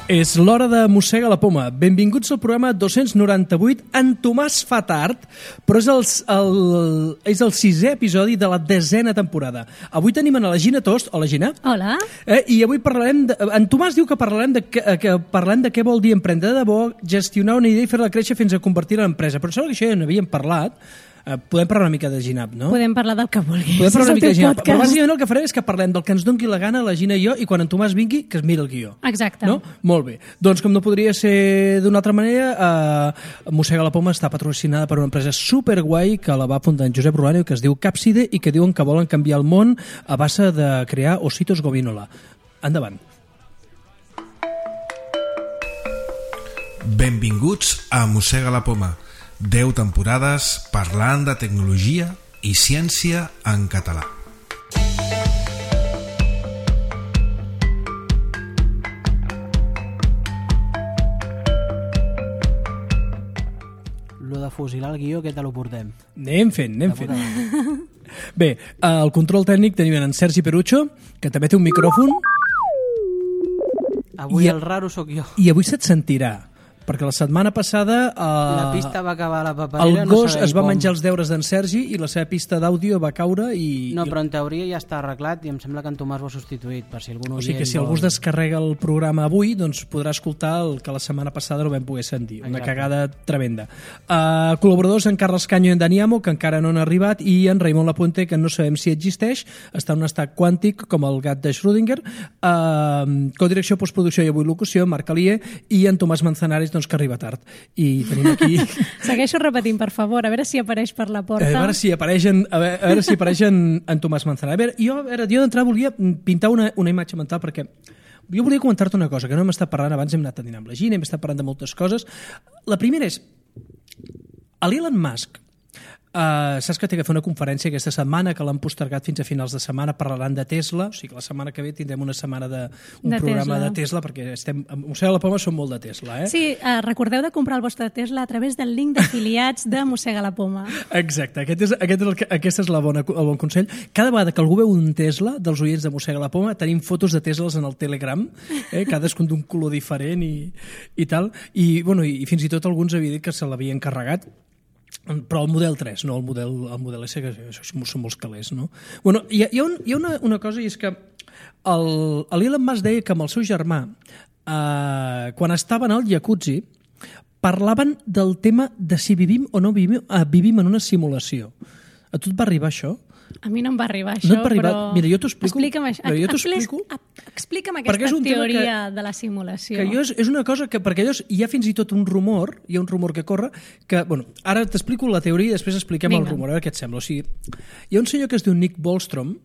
És l'hora de Mossega la Poma. Benvinguts al programa 298. En Tomàs fa tard, però és el sisè episodi de la 10a temporada. Avui tenim a la Gina Tost. Hola, Gina. Hola. I avui parlarem... En Tomàs diu que parlarem de què vol dir emprendre de debò, gestionar una idea i fer-la créixer fins a convertir-la en empresa. Però sembla que això ja n'havíem parlat. Podem parlar una mica de Ginap, no? Podem parlar del que vulguis. Podem parlar una mica de Ginap. Però bàsicament el que farem és que parlem del que ens doni la gana, la Gina i jo, i quan en Tomàs vingui, que es mira el guió. Exacte. No? Molt bé. Doncs com no podria ser d'una altra manera, Mossega la Poma està patrocinada per una empresa superguai que la va fundar en Josep Rolano, que es diu Capside i que diuen que volen canviar el món a base de crear ositos gominola. Endavant. Benvinguts a Mossega la Poma. 10 temporades parlant de tecnologia i ciència en català. Lo de fusilar el guió, què te lo portem? Anem fent. Bé, al control tècnic tenim en Sergi Perucho, que també té un micròfon. Avui el raro sóc jo. I avui se't sentirà, perquè la setmana passada la pista va acabar a la paperera. El gos es va menjar els deures d'en Sergi i la seva pista d'àudio va caure i... No, però en teoria ja està arreglat i em sembla que en Tomàs ho ha substituït, per si algun o sigui que si algú es descarrega el programa avui, doncs podrà escoltar el que la setmana passada no vam poder sentir. Una cagada tremenda. Col·laboradors en Carles Canyo i en Dani Amo, que encara no han arribat, i en Raimon Lapuente, que no sabem si existeix, està en un estat quàntic com el gat de Schrödinger. Codirecció, postproducció i avui locució, Marc Alier, i en Tomàs Manzanares, que arriba tard. I tenim aquí... Segueixo repetint, per favor, a veure si apareix per la porta. A veure si apareix en Tomàs Manzanares. Jo d'entrada volia pintar una imatge mental, perquè jo volia comentar-te una cosa, que no hem estat parlant abans, hem anat a dinar amb la Gina, hem estat parlant de moltes coses. La primera és, l'Elon Musk, saps que té que fer una conferència aquesta setmana, que l'han postergat fins a finals de setmana, parlaran de Tesla, o sigui que la setmana que ve tindrem una setmana un programa de Tesla, perquè estem, a Mossega la Poma som molt de Tesla, eh? Sí, recordeu de comprar el vostre Tesla a través del link d'afiliats de Mossega la Poma. Exacte, aquest és el bon consell. Cada vegada que algú veu un Tesla dels oients de Mossega la Poma, tenim fotos de Teslas en el Telegram, cadascun d'un color diferent i tal, i fins i tot alguns havien dit que se l'havien carregat, però el model 3, no el model S, que això són molts calés, no? Bueno, hi ha una cosa, i és que l'Elon Musk deia que amb el seu germà, quan estaven al jacuzzi, parlaven del tema de si vivim o no vivim en una simulació. A tu et va arribar això? A mi no em va arribar això, no però... Mira, jo t'ho explico. Explica'm aquesta teoria de la simulació. Que és una cosa que, perquè hi ha fins i tot un rumor que corre, que, ara t'explico la teoria i després expliquem el rumor, a veure què et sembla. O sigui, hi ha un senyor que es diu Nick Bostrom,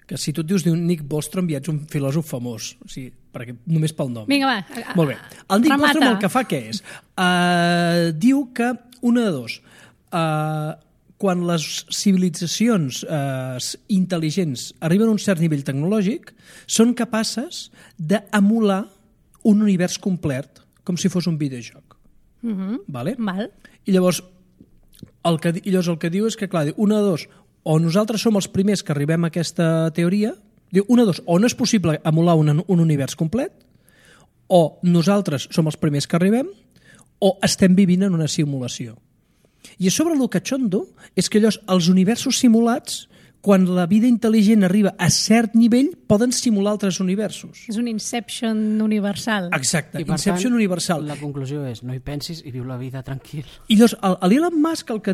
que si tu et dius Nick Bostrom ja ets un filòsof famós, o sigui, perquè només pel nom. Vinga, va. Molt bé. El Nick Bostrom el que fa què és? Diu que una de dos... quan les civilitzacions intel·ligents arriben a un cert nivell tecnològic, són capaces d'emular un univers complet, com si fos un videojoc. Vale? Val. I llavors, el que diu és que, clar, una de dos, o nosaltres som els primers que arribem a aquesta teoria, diu, una de dos, o no és possible emular un univers complet, o nosaltres som els primers que arribem, o estem vivint en una simulació. I a sobre el catxondo és que els universos simulats, quan la vida intel·ligent arriba a cert nivell, poden simular altres universos. És un Inception universal. Exacte, Inception universal. La conclusió és, no hi pensis i viu la vida tranquil. I llavors, l'Elon Musk el que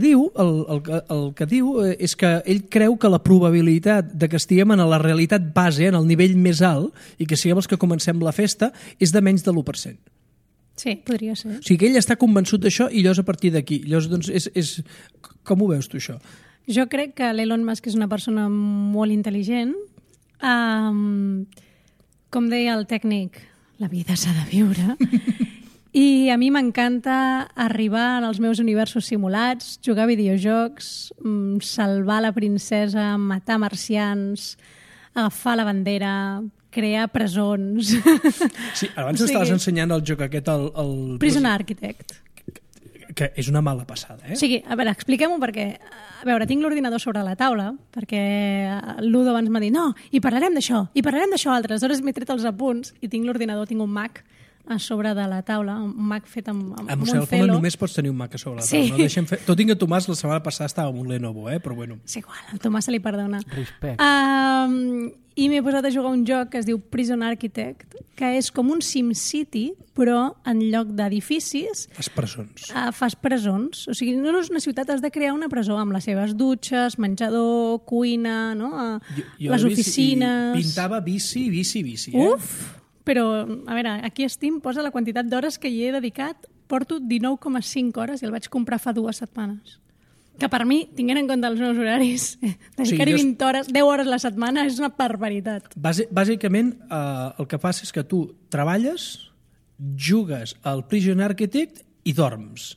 diu és que ell creu que la probabilitat de que estiguem en la realitat base, en el nivell més alt, i que siguem els que comencem la festa, és de menys de l'1%. Sí, podria ser. O sigui que ell està convençut d'això i llavors a partir d'aquí. Llavors, doncs, com ho veus tu, això? Jo crec que l'Elon Musk és una persona molt intel·ligent. Com deia el tècnic, la vida s'ha de viure. I a mi m'encanta arribar als meus universos simulats, jugar a videojocs, salvar la princesa, matar marcians, agafar la bandera, crear presons... Sí, abans estaves ensenyant el joc aquest... Prison Architect. Que és una mala passada, eh? O sigui, a veure, expliquem-ho perquè... A veure, tinc l'ordinador sobre la taula, perquè l'Udo abans m'ha dit no, i parlarem d'això altre. Aleshores m'he tret els apunts i tinc l'ordinador, tinc un Mac a sobre de la taula, un Mac fet amb A un Museu de la Poma celo. només pots tenir un Mac a sobre la Sí. taula. No deixem fer... Tot i que Tomàs la setmana passada estava amb un Lenovo, però bueno. És igual, al Tomàs se li perdona. Respect. I m'he posat a jugar un joc que es diu Prison Architect, que és com un SimCity, però en lloc d'edificis Les presons. fas presons. O sigui, no és una ciutat, has de crear una presó amb les seves dutxes, menjador, cuina, no? Les oficines... I pintava bici. Uf! Però, a veure, aquí Steam posa la quantitat d'hores que hi he dedicat. Porto 19,5 hores i el vaig comprar fa 2 setmanes. Que per mi, tinguent en compte els meus horaris, dedicar-hi 20 hores, 10 hores a la setmana és una barbaritat. Bàsicament, el que passa és que tu treballes, jugues al Prison Architect i dorms.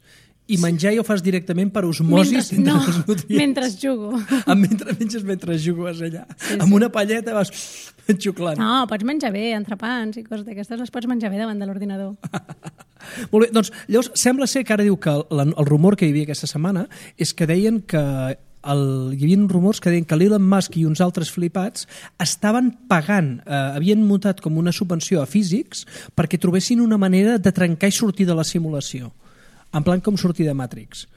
I menjar ja ho fas directament per osmosis entre els nutrients. Mentre jugo. Mentre jugues allà. Amb una palleta vas xuclant. No, pots menjar bé, entrepans i coses d'aquestes, les pots menjar bé davant de l'ordinador. Molt bé, doncs llavors sembla ser que ara diu que el rumor que hi havia aquesta setmana és que deien que hi havia rumors que deien que l'Elon Musk i uns altres flipats estaven pagant, havien muntat com una subvenció a físics perquè trobessin una manera de trencar i sortir de la simulació. En plan com sortir de Matrix.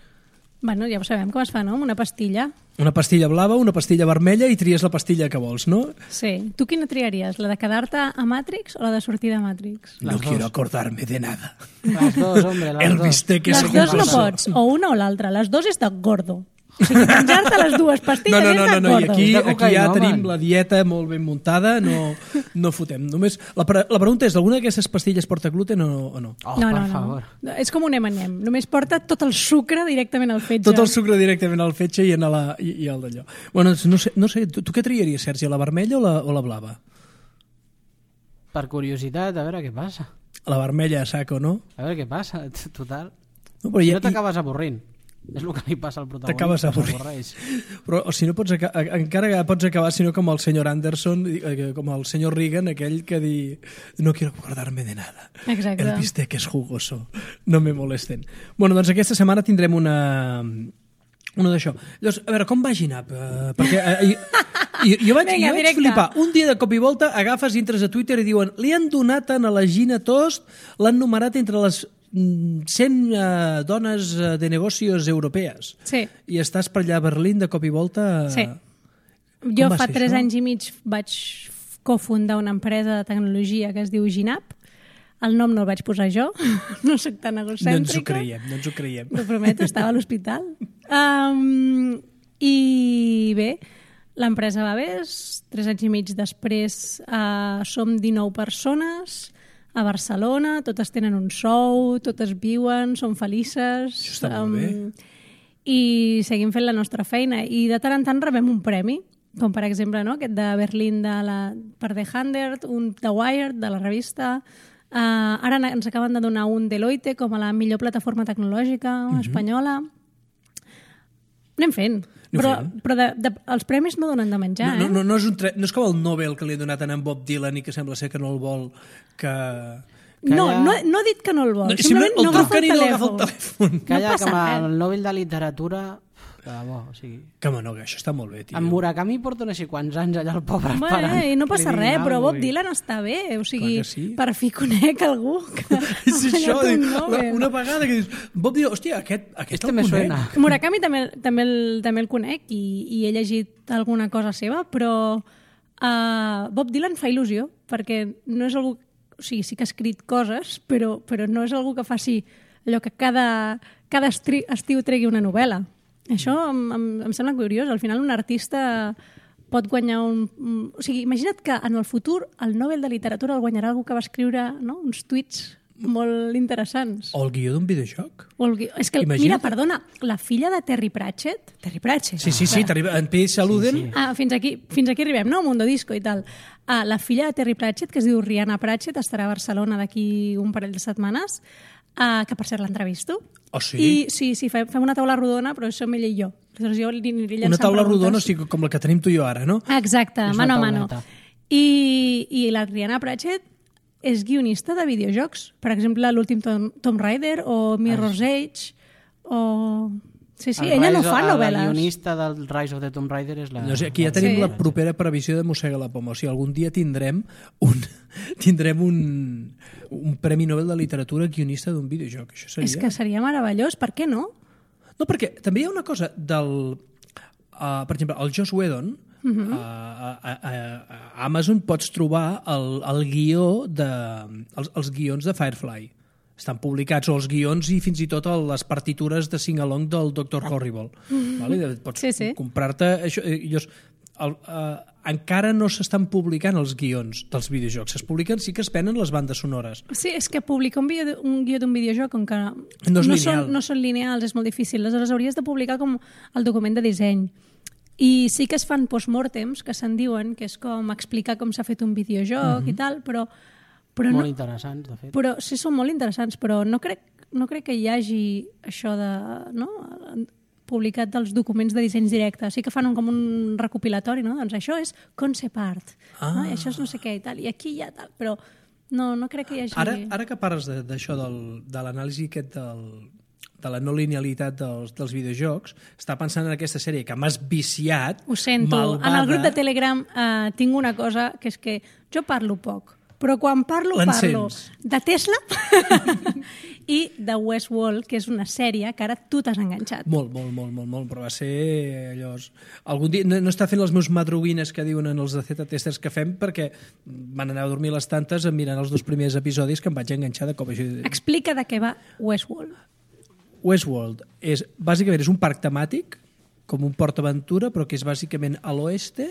Bueno, ja ho sabem com es fa, no? Amb una pastilla. Una pastilla blava, una pastilla vermella i tries la pastilla que vols, no? Sí. Tu quina triaries? La de quedar-te a Matrix o la de sortir de Matrix? No quiero acordarme de nada. Las dos, hombre, las El dos. bistec és Les dues no jugoso. pots, o una o l'altra. Les dues és de gordo. O sigui, menjar-te les dues pastilles és de No, i gordo. aquí ja cocaïna, tenim home. la dieta molt ben muntada, no fotem. Només la pregunta és, alguna d'aquestes pastilles porta gluten o no? Oh, No, per no, favor. no. És com un M&M. Només porta tot el sucre directament al fetge. Tot el sucre directament al fetge i al d'allò. Bueno, no sé, tu què triaries, Sergi, la vermella o la blava? Per curiositat, a veure què passa. La vermella a saco, no? A veure què passa, total. No, però Si no t'acabes avorrint. És el que li passa al protagonista. T'acabes avorrint. s'avorreix. Però o si no pots encara pots acabar, sinó com el senyor Anderson, com el senyor Reagan, aquell que di no quiero acordarme de nada. Exacte. El bistec és jugoso. No me molesten. Bueno, doncs aquesta setmana tindrem una d'això. Llavors, a veure, com va Ginap? Perquè jo vaig directe. flipar. Un dia de cop i volta agafes i entres a Twitter i diuen li han donat a la Gina Tost, l'han numerat entre les 100 dones de negocios europees. Sí. I estàs per allà a Berlín de cop i volta... Sí. Com Jo va fa ser 3 això? anys i mig vaig cofundar una empresa de tecnologia que es diu Ginap. El nom no el vaig posar jo, no soc tan No ens ho egocèntrica. creiem. Ho prometo, estava a l'hospital. I bé, l'empresa va bé, 3 anys i mig després som 19 persones a Barcelona, totes tenen un sou, totes viuen, són felices. Això està molt bé. I seguim fent la nostra feina. I de tant en tant rebem un premi, com per exemple no? Aquest de Berlín per The 100, un de Wired, de la revista. Ara ens acaben de donar un Deloitte com a la millor plataforma tecnològica espanyola. Anem fent. Però els premis no donen de menjar, No és com el Nobel que li ha donat a en Bob Dylan i que sembla ser que no el vol que... No he dit que no el vol. Simplement el truquen i no agafa el telèfon. Calla, passa que amb res. el Nobel de Literatura... Que bo, o sigui... Que no, que això està molt bé, tio. En Murakami porta no sé quants anys allà el pobre Bueno, esperant. i no passa que li res, diguin però alguna Bob cosa. Dylan està bé. O sigui, Clar que sí. per fi conec algú que ha És això, guanyat un Nobel. una vegada que dius... Bob Dylan, hòstia, aquest Este el me conec. suena. Murakami també el conec i he llegit alguna cosa seva, però Bob Dylan fa il·lusió, perquè no és algú... O sigui, sí que ha escrit coses, però no és algú que faci allò que cada estiu tregui una novel·la. Això em sembla curiós. Al final un artista pot guanyar O sigui, imagina't que en el futur el Nobel de Literatura el guanyarà algú que va escriure uns tuits molt interessants. O el guió d'un videojoc. És que, Imagina't. mira, perdona, la filla de Terry Pratchett... Sí, en P. Saluden. Fins aquí arribem, no? Mundo Disco i tal. La filla de Terry Pratchett, que es diu Rihanna Pratchett, estarà a Barcelona d'aquí un parell de setmanes, que per cert l'entrevisto. Oh, sí? I sí, fem una taula rodona, però som ella i jo. Aleshores jo li aniré llançant Una taula preguntes. rodona, o sigui, com la que tenim tu i jo ara, no? Exacte, És mano a una mano. tauleta. I la Rihanna Pratchett és guionista de videojocs. Per exemple, l'últim Tomb Raider o Mirror's Edge o... Sí, ella no fa La novel·les. guionista del Rise of the Tomb Raider és la... No sé, aquí ja tenim Sí. la propera previsió de Mossega la Poma. O sigui, algun dia tindrem un Premi Nobel de Literatura guionista d'un videojoc. Això seria... És que seria meravellós, per què no? No, perquè també hi ha una cosa del... per exemple, el Joss Whedon, a Amazon pots trobar el guió els guions de Firefly. Estan publicats, o els guions i fins i tot les partitures de sing-along del Dr. Horrible. Vale? Pots comprar-te... encara no s'estan publicant els guions dels videojocs. Es publiquen, sí que es venen les bandes sonores. Sí, és que publicar un guió d'un videojoc com que no són lineals, és molt difícil. Aleshores hauries de publicar com el document de disseny. I sí que es fan postmortems, que se'n diuen, que és com explicar com s'ha fet un videojoc i tal, però molt interessants, de fet. Però sí, són molt interessants, però no crec que hi hagi això de... No? Publicat dels documents de dissenys directes. Sí que fan com un recopilatori, no? Doncs això és concept art. No? I això és no sé què i tal. I aquí hi ha tal. Però no crec que hi hagi... Ara que parles d'això, de l'anàlisi aquest de la no linealitat dels videojocs, està pensant en aquesta sèrie que m'has viciat. Ho sento. Malvada. En el grup de Telegram tinc una cosa, que és que jo parlo poc, però quan parlo de Tesla i de Westworld, que és una sèrie que ara tu t'has enganxat. Molt, però va ser allò... Algun dia no està fent les meus madruguines que diuen en els de Z-Testers que fem, perquè van anar a dormir les tantes mirant els 2 primers episodis que em vaig enganxar de cop. Explica de què va Westworld. Westworld bàsicament és un parc temàtic, com un PortAventura, però que és bàsicament a l'oeste,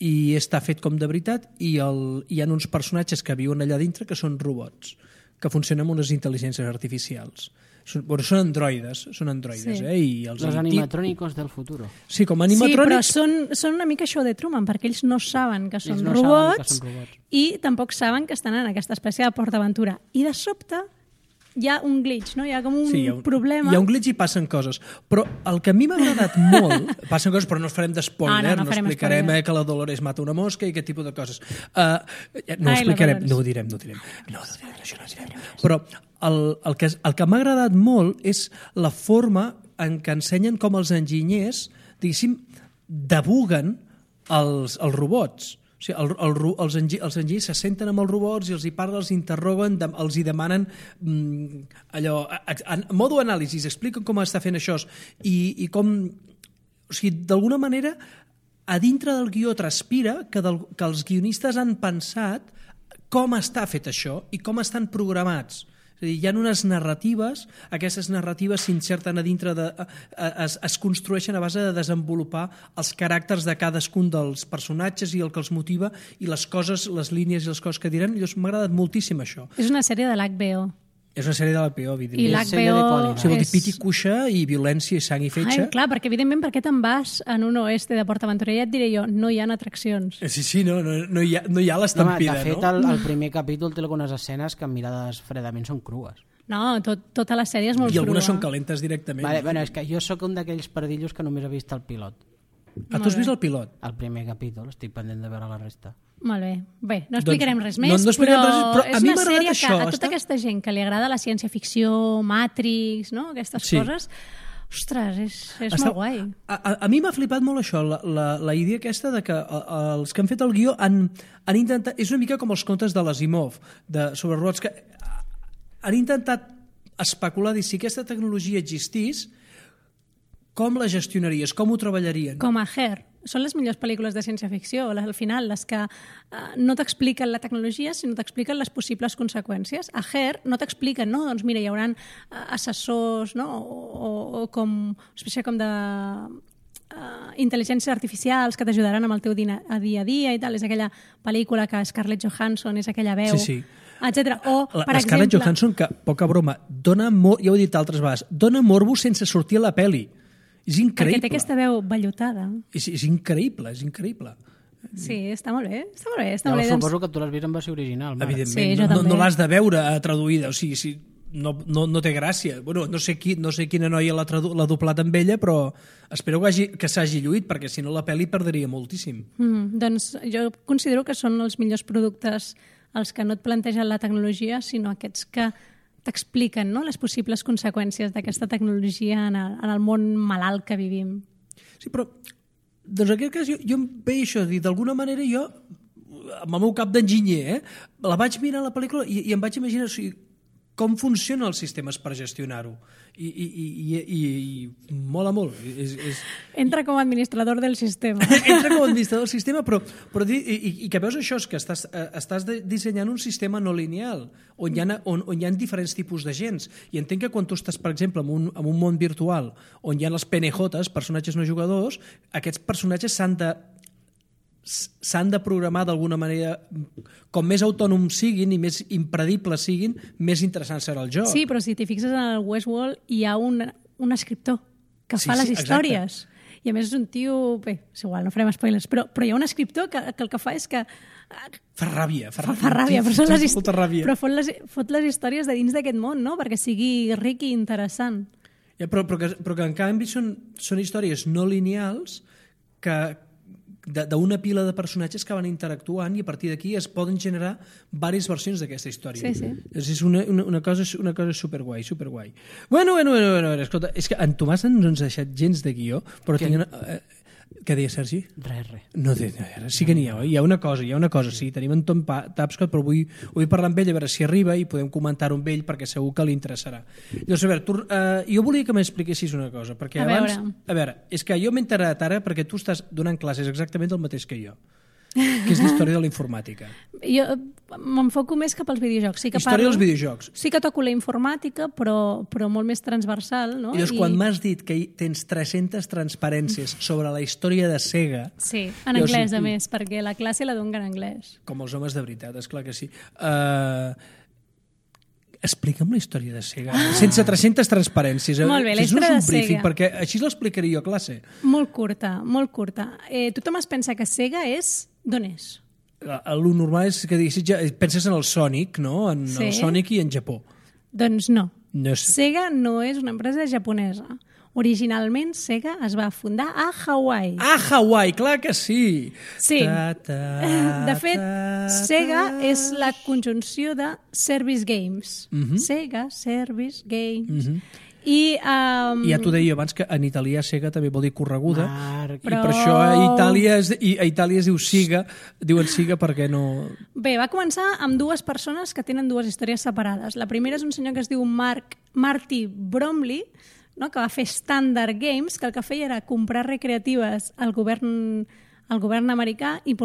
i està fet com de veritat, i hi ha uns personatges que viuen allà dintre que són robots, que funcionen amb unes intel·ligències artificials. Són androides, sí. I els animatrònicos del futuro. Sí, com animatrònics... Sí, però són una mica show de Truman, perquè ells no saben que són robots i tampoc saben que estan en aquesta espècie de PortAventura. I de sobte hi ha un glitch, no? Hi ha com un problema. Hi ha un glitch i passen coses. Però el que a mi m'ha agradat molt... Passen coses, però no es farem d'espoiler. No explicarem que la Dolores mata una mosca i aquest tipus de coses. No ho explicarem. No ho direm. Això no ho direm. Però el que m'ha agradat molt és la forma en què ensenyen com els enginyers, diguéssim, debuguen els robots. O sigui, els enginyers se senten amb els robots i els hi parlen, els interroguen, els hi demanen allò, en modo anàlisi, expliquen com està fent això i com... O sigui, d'alguna manera, a dintre del guió transpira que els guionistes han pensat com està fet això i com estan programats. És a dir, hi ha unes narratives, aquestes narratives s'inserten a dintre es construeixen a base de desenvolupar els caràcters de cadascun dels personatges i el que els motiva i les coses, les línies i les coses que diran. Llavors m'ha agradat moltíssim això. És una sèrie de l'HBO. És una sèrie de l'HBO, evidentment. I l'HBO... Sí, vol dir pit i cuixa i violència i sang i fetge. Clar, perquè evidentment per què te'n vas en un oeste de PortAventura? Ja et diré jo, no hi ha atraccions. Sí, no hi ha l'estampida, no? De fet, el primer capítol té algunes escenes que mirades fredament són crues. No, tota la sèrie és molt crua. I algunes són calentes directament. Bueno, és que jo sóc un d'aquells pardillos que només he vist el pilot. Tu has vist el pilot? El primer capítol, estic pendent de veure la resta. Molt bé. Bé, no explicarem res més, però és una sèrie que a tota aquesta gent que li agrada la ciència-ficció, Matrix, no? Aquestes coses, ostres, és molt guai. A mi m'ha flipat molt això, la idea aquesta de que els que han fet el guió han intentat... És una mica com els contes de l'Asimov, sobre robots, que han intentat especular, dir, si aquesta tecnologia existís, com la gestionaries, com ho treballarien? Com a Her. Són les millors pel·lícules de ciència-ficció, al final, les que no t'expliquen la tecnologia, sinó t'expliquen les possibles conseqüències. A Her no t'expliquen, no? Doncs mira, hi haurà assessors, no? O com, espècie com de intel·ligències artificials que t'ajudaran amb el teu dia a dia i tal. És aquella pel·lícula que Scarlett Johansson és aquella veu... Sí. Etcètera. O, per exemple... Scarlett Johansson, que, poca broma, ja ho he dit altres vegades, dona morbo sense sortir a la pel·li. És increïble. Perquè té aquesta veu vellutada. És increïble, és increïble. Sí, està molt bé. Suposo que tu l'has vist en versió original. Evidentment, sí, no l'has de veure traduïda, o sigui, no té gràcia. Bueno, no sé quina noia l'ha doblat amb ella, però espero que s'hagi lluït, perquè si no la pel·li perdria moltíssim. Doncs jo considero que són els millors productes els que no et plantegen la tecnologia, sinó aquests que t'expliquen, no?, les possibles conseqüències d'aquesta tecnologia en el món malalt que vivim. Sí, però doncs en aquest cas jo em veig això, d'alguna manera jo amb el meu cap d'enginyer, la vaig mirar la pel·lícula i em vaig imaginar com funcionen els sistemes per gestionar-ho. I mola molt. Entra com a administrador del sistema. Entra com a administrador del sistema, però que veus això, és que estàs dissenyant un sistema no lineal, on hi ha diferents tipus d'agents. I entenc que quan tu estàs, per exemple, en un món virtual, on hi ha els PNJs, personatges no jugadors, aquests personatges s'han de programar d'alguna manera, com més autònoms siguin i més impredibles siguin, més interessant serà el joc. Sí, però si t'hi fixes en el Westworld hi ha un escriptor que fa les històries. Exacte. I a més és un tio... Bé, és igual, no farem spoilers, però hi ha un escriptor que el que fa és que... Fa ràbia, però fot les històries de dins d'aquest món, no? Perquè sigui ric i interessant. Ja, però que en canvi són històries no lineals que d'una pila de personatges que van interactuant i a partir d'aquí es poden generar diverses versions d'aquesta història. Sí. És una cosa superguai. Bueno, escolta, és que en Tomàs no ens ha deixat gens de guió, però què deia, Sergi? Res. No té res. Sí que n'hi ha, hi ha una cosa, sí, tenim en Tom Tapscott, però vull parlar amb ell, a veure si arriba i podem comentar-ho amb ell perquè segur que li interessarà. Llavors, a veure, jo volia que m'expliquessis una cosa, perquè abans... A veure, és que jo m'he enterat ara perquè tu estàs donant classes exactament el mateix que jo, que és l'història de la informàtica. Jo m'enfoco més cap als videojocs. Sí que història dels videojocs. Sí que toco la informàtica, però molt més transversal, no? I llavors, quan m'has dit que tens 300 transparències sobre la història de Sega... Sí, en anglès, a més, perquè la classe la dono en anglès. Com els homes de veritat, esclar que sí. Explica'm la història de Sega, sense 300 transparències. Molt bé, la història de Sega. Perquè així l'explicaria jo a classe. Molt curta. Tothom es pensa que Sega és... D'on és? El normal és que penses en el Sonic, no? En el Sonic i en Japó. Doncs no. No sé. Sega no és una empresa japonesa. Originalment, Sega es va fundar a Hawaii. A Hawaii, clar que sí! Sí. De fet, Sega és la conjunció de Service Games. Sega, Service Games... I ja t'ho deia abans que en italià Sega també vol dir correguda i per això a Itàlia es diu Siga, diuen Siga perquè no... Bé, va començar amb dues persones que tenen dues històries separades. La primera és un senyor que es diu Marty Bromley, no? Que va fer Standard Games, que el que feia era comprar recreatives al govern americà i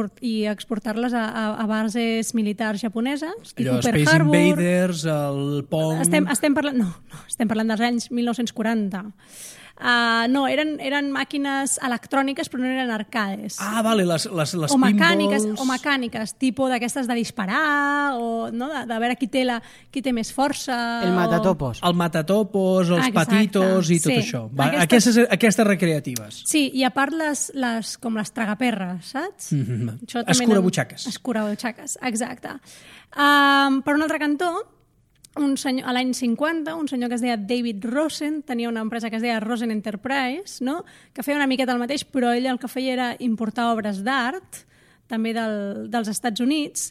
exportar-les a bases militars japoneses, tipus Pearl Space Harbor. Invaders, el Pong... Estem parlant dels anys 1940. No, eren màquines electròniques però no eren arcades. Ah, vale, les pinballs... O mecàniques, tipus d'aquestes de disparar, o no, de veure qui té més força... El matatopos. El matatopos, els patitos i tot això. Aquestes recreatives. Sí, i a part com les tragaperres, saps? Escurabutxaques. Escurabutxaques, exacte. Per un altre cantó, un senyor, a l'any 50, un senyor que es deia David Rosen tenia una empresa que es deia Rosen Enterprise, no? Que feia una miqueta el mateix, però ell el que feia era importar obres d'art, també dels Estats Units,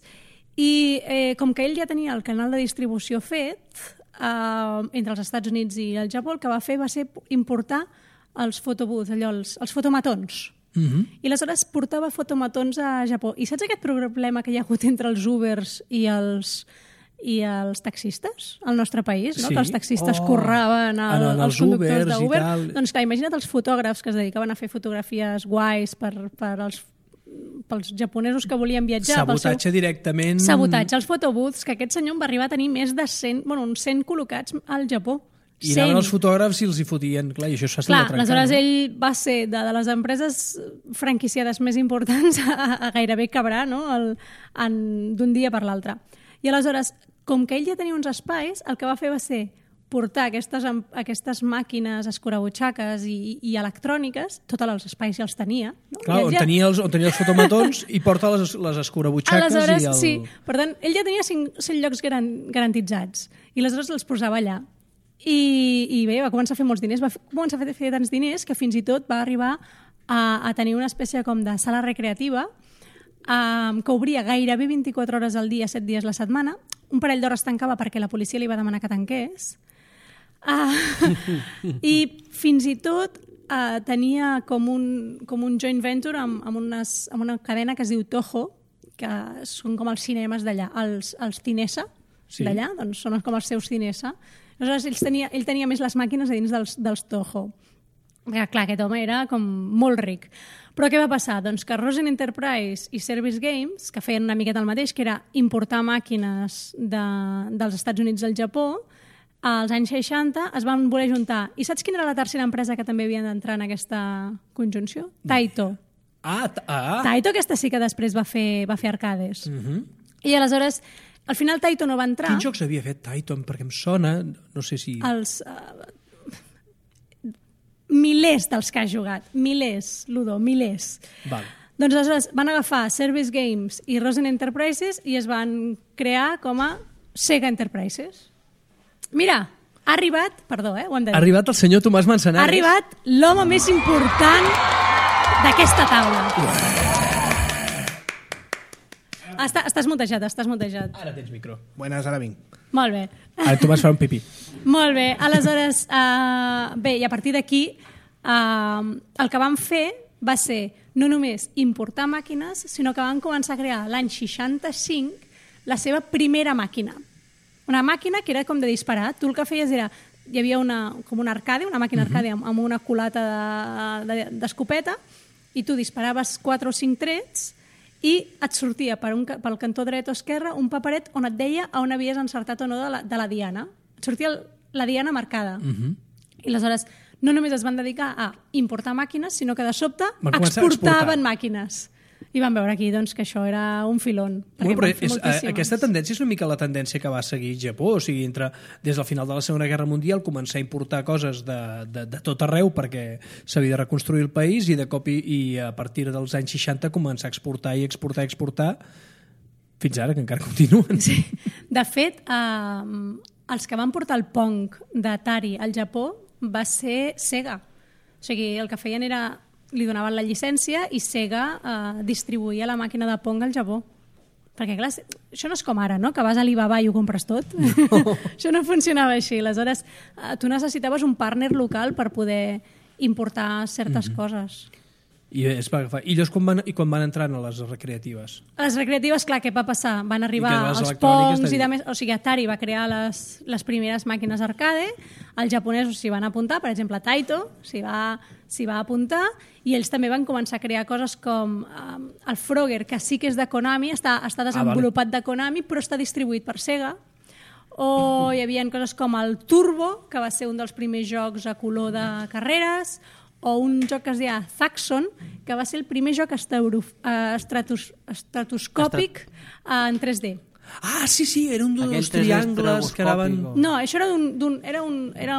i com que ell ja tenia el canal de distribució fet entre els Estats Units i el Japó, el que va fer va ser importar els photobooths, els fotomatons. I aleshores portava fotomatons a Japó. I saps aquest problema que hi ha hagut entre els Ubers i els taxistes al nostre país, no? Sí. Que els taxistes curraven els conductors d'Uber. Doncs clar, imagina't els fotògrafs que es dedicaven a fer fotografies guais pels japonesos que volien viatjar. Sabotatge directament... Sabotatge, els photobooths, que aquest senyor va arribar a tenir més de 100, uns 100 col·locats al Japó. I anaven els fotògrafs i els hi fotien. Clar, i això s'ha estat trencant. Aleshores ell va ser de les empreses franquiciades més importants a gairebé quebrar, no? D'un dia per l'altre. I aleshores, com que ell ja tenia uns espais, el que va fer va ser portar aquestes màquines escurabutxaques i electròniques, tots els espais ja els tenia. No? Clar, on tenia els fotomatons i porta les escurabutxaques. Aleshores, sí. Per tant, ell ja tenia 100 llocs garantitzats i aleshores els posava allà. I bé, va començar a fer molts diners, va començar a fer tants diners que fins i tot va arribar a tenir una espècie com de sala recreativa que obria gairebé 24 hores al dia, 7 dies la setmana. Un parell d'hores tancava perquè la policia li va demanar que tanqués. I fins i tot tenia com un joint venture amb una cadena que es diu Toho, que són com els cinemes d'allà, els Cinesa d'allà, doncs són com els seus Cinesa. Aleshores, ell tenia més les màquines a dins dels Toho. Perquè, clar, aquest home era com molt ric. Però què va passar? Doncs que Rosen Enterprise i Service Games, que feien una miqueta el mateix, que era importar màquines dels Estats Units al Japó, als anys 60 es van voler juntar. I saps quina era la tercera empresa que també havia d'entrar en aquesta conjunció? Taito. Taito, aquesta sí que després va fer arcades. I aleshores, al final Taito no va entrar. Quins jocs havia fet Taito? Perquè em sona, no sé si... Milers dels que has jugat. Milers, Ludo, milers. Val. Doncs aleshores van agafar Service Games i Rosen Enterprises i es van crear com a Sega Enterprises. Mira, ha arribat, perdó, ho hem de dir. Ha arribat el senyor Tomàs Manzanares. Ha arribat l'home més important d'aquesta taula. Estàs mutejat. Ara tens micro. Buenas, ara vinc. Molt bé. Ara Tomàs farà un pipí. Molt bé, aleshores, bé, i a partir d'aquí el que vam fer va ser no només importar màquines, sinó que van començar a crear l'any 65 la seva primera màquina. Una màquina que era com de disparar. Tu el que feies era... Hi havia com una arcade, una màquina arcade amb una culata d'escopeta i tu disparaves 4 o 5 trets i et sortia pel cantó dret o esquerre un paperet on et deia on havies encertat o no de la diana. Et sortia la diana marcada. I aleshores no només es van dedicar a importar màquines, sinó que de sobte exportaven màquines. I vam veure aquí doncs, que això era un filón. Aquesta tendència és una mica la tendència que va seguir Japó, o sigui, des del final de la Segona Guerra Mundial començar a importar coses de tot arreu perquè s'havia de reconstruir el país i de cop i a partir dels anys 60 començar a exportar fins ara, que encara continuen. Sí. De fet, els que van portar el Pong d'Atari al Japó va ser Sega. O sigui, el que feien era... li donaven la llicència i Sega distribuïa la màquina de Pong al Japó. Perquè, clar, això no és com ara, no? Que vas a Alibaba i ho compres tot. No. Això no funcionava així. Aleshores, tu necessitaves un partner local per poder importar certes coses. I es va agafar. I llavors quan van entrar a les recreatives? A les recreatives, clar, què va passar? Van arribar els Pongs i demés. O sigui, Atari va crear les primeres màquines arcade, els japonesos s'hi van apuntar, per exemple, Taito s'hi va apuntar, i ells també van començar a crear coses com el Frogger, que sí que és de Konami, està desenvolupat de Konami, però està distribuït per Sega. O hi havia coses com el Turbo, que va ser un dels primers jocs a color de carreres, o un joc que es deia Zaxxon, que va ser el primer joc estratoscòpic en 3D. Ah, sí, era un dels triangles que anaven... No, això era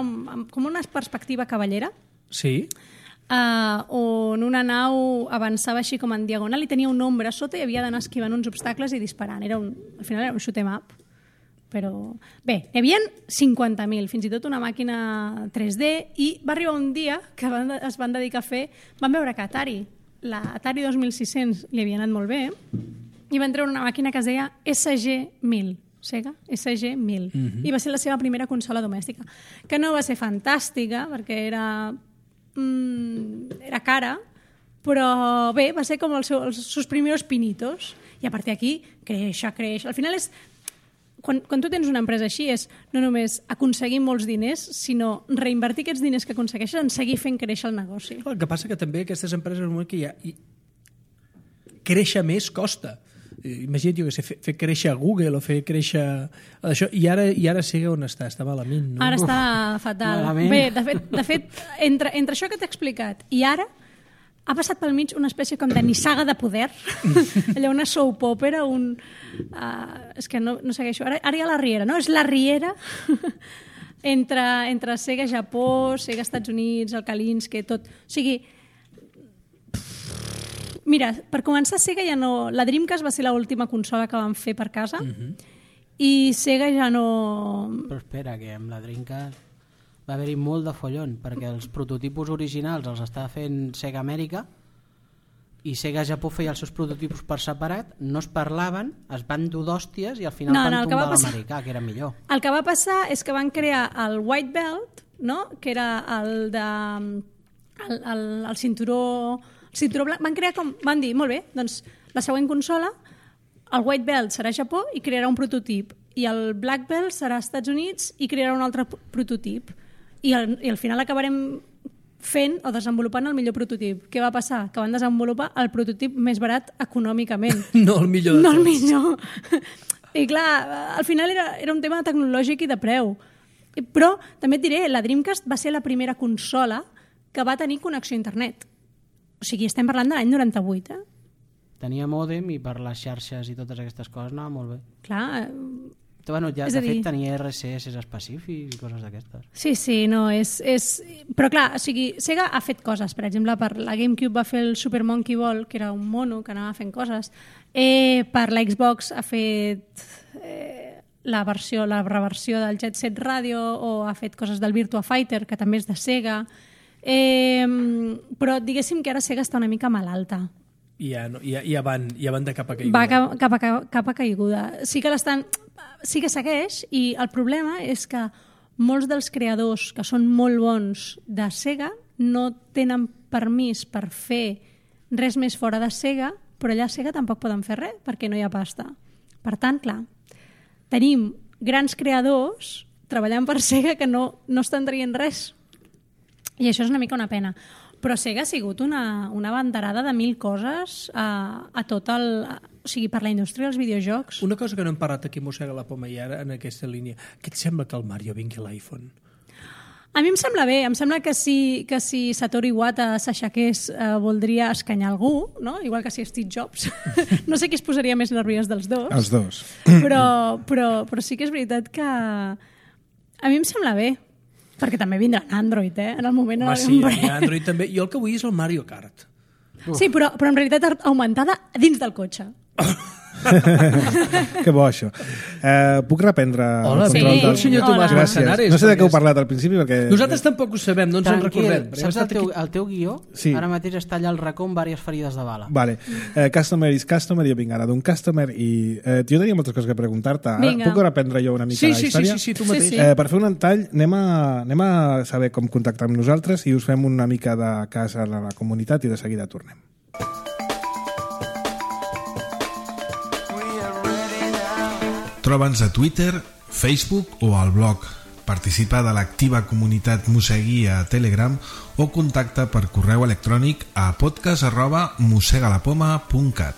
com una perspectiva cavallera. Sí. On una nau avançava així com en diagonal i tenia un ombra a sota i havia d'anar esquivant uns obstacles i disparant. Al final era un shoot 'em up. Però bé, hi havia 50.000, fins i tot una màquina 3D, i va arribar un dia que es van dedicar a fer... Van veure que l'Atari 2600 li havia anat molt bé, i van treure una màquina que es deia SG-1000, Sega SG-1000, i va ser la seva primera consola domèstica, que no va ser fantàstica, perquè era cara, però bé, va ser com els seus primers pinitos, i a partir d'aquí creix. Al final és... Quan tu tens una empresa així és no només aconseguir molts diners, sinó reinvertir aquests diners que aconsegueixes en seguir fent créixer el negoci. El que passa que també aquestes empreses que créixer més costa. Imagina't, jo que sé, fer créixer Google o fer créixer... Això, i ara Sega on està? Està malament, no? Ara està fatal. Malament. Bé, de fet entre això que t'he explicat i ara ha passat pel mig una espècie com de nissaga de poder, allà una soap opera, és que no segueixo, ara hi ha la riera, no? És la riera entre Sega Japó, Sega Estats Units, el Kalinske, tot. O sigui, mira, per començar, Sega ja no... La Dreamcast va ser l'última consola que van fer per casa, i Sega ja no... Però espera, que amb la Dreamcast va haver-hi molt de follon, perquè els prototipus originals els estava fent Sega Amèrica i Sega Japó feia els seus prototipus per separat, no es parlaven, es van dur d'hòsties i al final van tombar l'americà, que era millor. El que va passar és que van crear el White Belt, no? Que era el cinturó blanc. Van dir, molt bé, doncs la següent consola el White Belt serà Japó i crearà un prototip, i el Black Belt serà Estats Units i crearà un altre prototip. I al final acabarem fent o desenvolupant el millor prototip. Què va passar? Que van desenvolupar el prototip més barat econòmicament. No el millor de tots. No el millor. I clar, al final era un tema tecnològic i de preu. Però també et diré, la Dreamcast va ser la primera consola que va tenir connexió a internet. O sigui, estem parlant de l'any 98, Tenia mòdem i per les xarxes i totes aquestes coses anava molt bé. Clar, Bueno, ja, és de a dir, fet tenia RCS específics i coses d'aquestes. sí, no, és... Però clar, o sigui, Sega ha fet coses. Per exemple, per la GameCube va fer el Super Monkey Ball, que era un mono que anava fent coses. Per la Xbox ha fet la reversió del Jet Set Radio, o ha fet coses del Virtua Fighter, que també és de Sega. Però diguéssim que ara Sega està una mica malalta. Ja van de capa caiguda. Va capa caiguda. Sí que segueix, i el problema és que molts dels creadors que són molt bons de Sega no tenen permís per fer res més fora de Sega, però allà a Sega tampoc poden fer res perquè no hi ha pasta. Per tant, clar, tenim grans creadors treballant per Sega que no estan traient res. I això és una mica una pena. Però Sega ha sigut una banderada de 1000 coses a tot el... O sigui, per la indústria dels videojocs. Una cosa que no hem parlat aquí, mossega la poma, i ara en aquesta línia. Què et sembla que el Mario vingui a l'iPhone? A mi em sembla bé. Em sembla que si Satoru Iwata s'aixequés voldria escanyar algú, no? Igual que si Steve Jobs. No sé qui es posaria més nerviós dels dos. Els dos. Però sí que és veritat que a mi em sembla bé. Perquè també vindrà Android, en el moment... Sí, Android també. Jo el que vull és el Mario Kart. Sí, però en realitat augmentada dins del cotxe. Que bo, això. Puc reprendre el control del senyor Tomàs Manzanares? No sé de què heu parlat al principi, perquè... Nosaltres tampoc ho sabem, no ens en recordem. Saps el teu guió? Sí. Ara mateix està allà al racó amb diverses ferides de bala. Vale. Customer is customer, jo vinc ara d'un customer i jo tenia moltes coses que preguntar-te. Puc reprendre jo una mica la història? Sí, tu mateix. Per fer un tall, anem a saber com contactar amb nosaltres i us fem una mica de cas a la comunitat i de seguida tornem. Troba'ns a Twitter, Facebook o al blog. Participa de l'activa comunitat Mosegui a Telegram o contacta per correu electrònic a podcast@mosegalapoma.cat.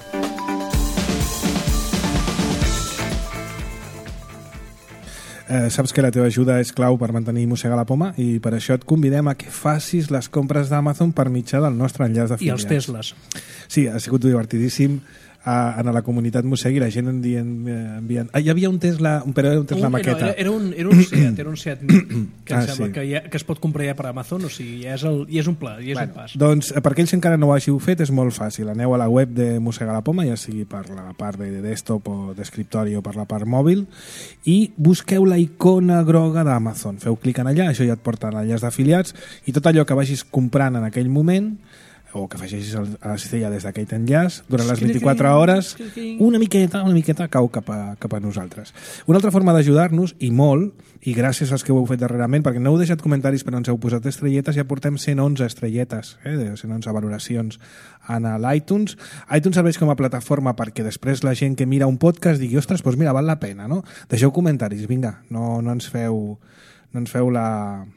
Saps que la teva ajuda és clau per mantenir Mossega la Poma i per això et convidem a que facis les compres d'Amazon per mitjà del nostre enllaç d'afiliats. I els Tesles. Sí, ha sigut divertidíssim. En la comunitat Mosegui la gent enviant... Hi havia un Tesla, però era un Tesla maqueta. Era un Seat que em sembla que es pot comprar ja per Amazon, o sigui, ja és un pla, ja és un pas. Doncs per aquells que encara no ho hàgiu fet és molt fàcil. Aneu a la web de Mossega la Poma, ja sigui per la part de desktop o d'escriptori o per la part mòbil, i busqueu la icona groga d'Amazon. Feu clic en allà, això ja et porta a l'enllaç d'afiliats, i tot allò que vagis comprant en aquell moment o que afegeixis a la cistella des d'aquell enllaç, durant les 24 hores, una miqueta cau cap a nosaltres. Una altra forma d'ajudar-nos, i molt, i gràcies als que ho heu fet darrerament, perquè no heu deixat comentaris però ens heu posat estrelletes, ja portem 111 estrelletes, 111 valoracions en l'iTunes. iTunes serveix com a plataforma perquè després la gent que mira un podcast digui, ostres, doncs mira, val la pena, no? Deixeu comentaris, vinga, no ens feu la...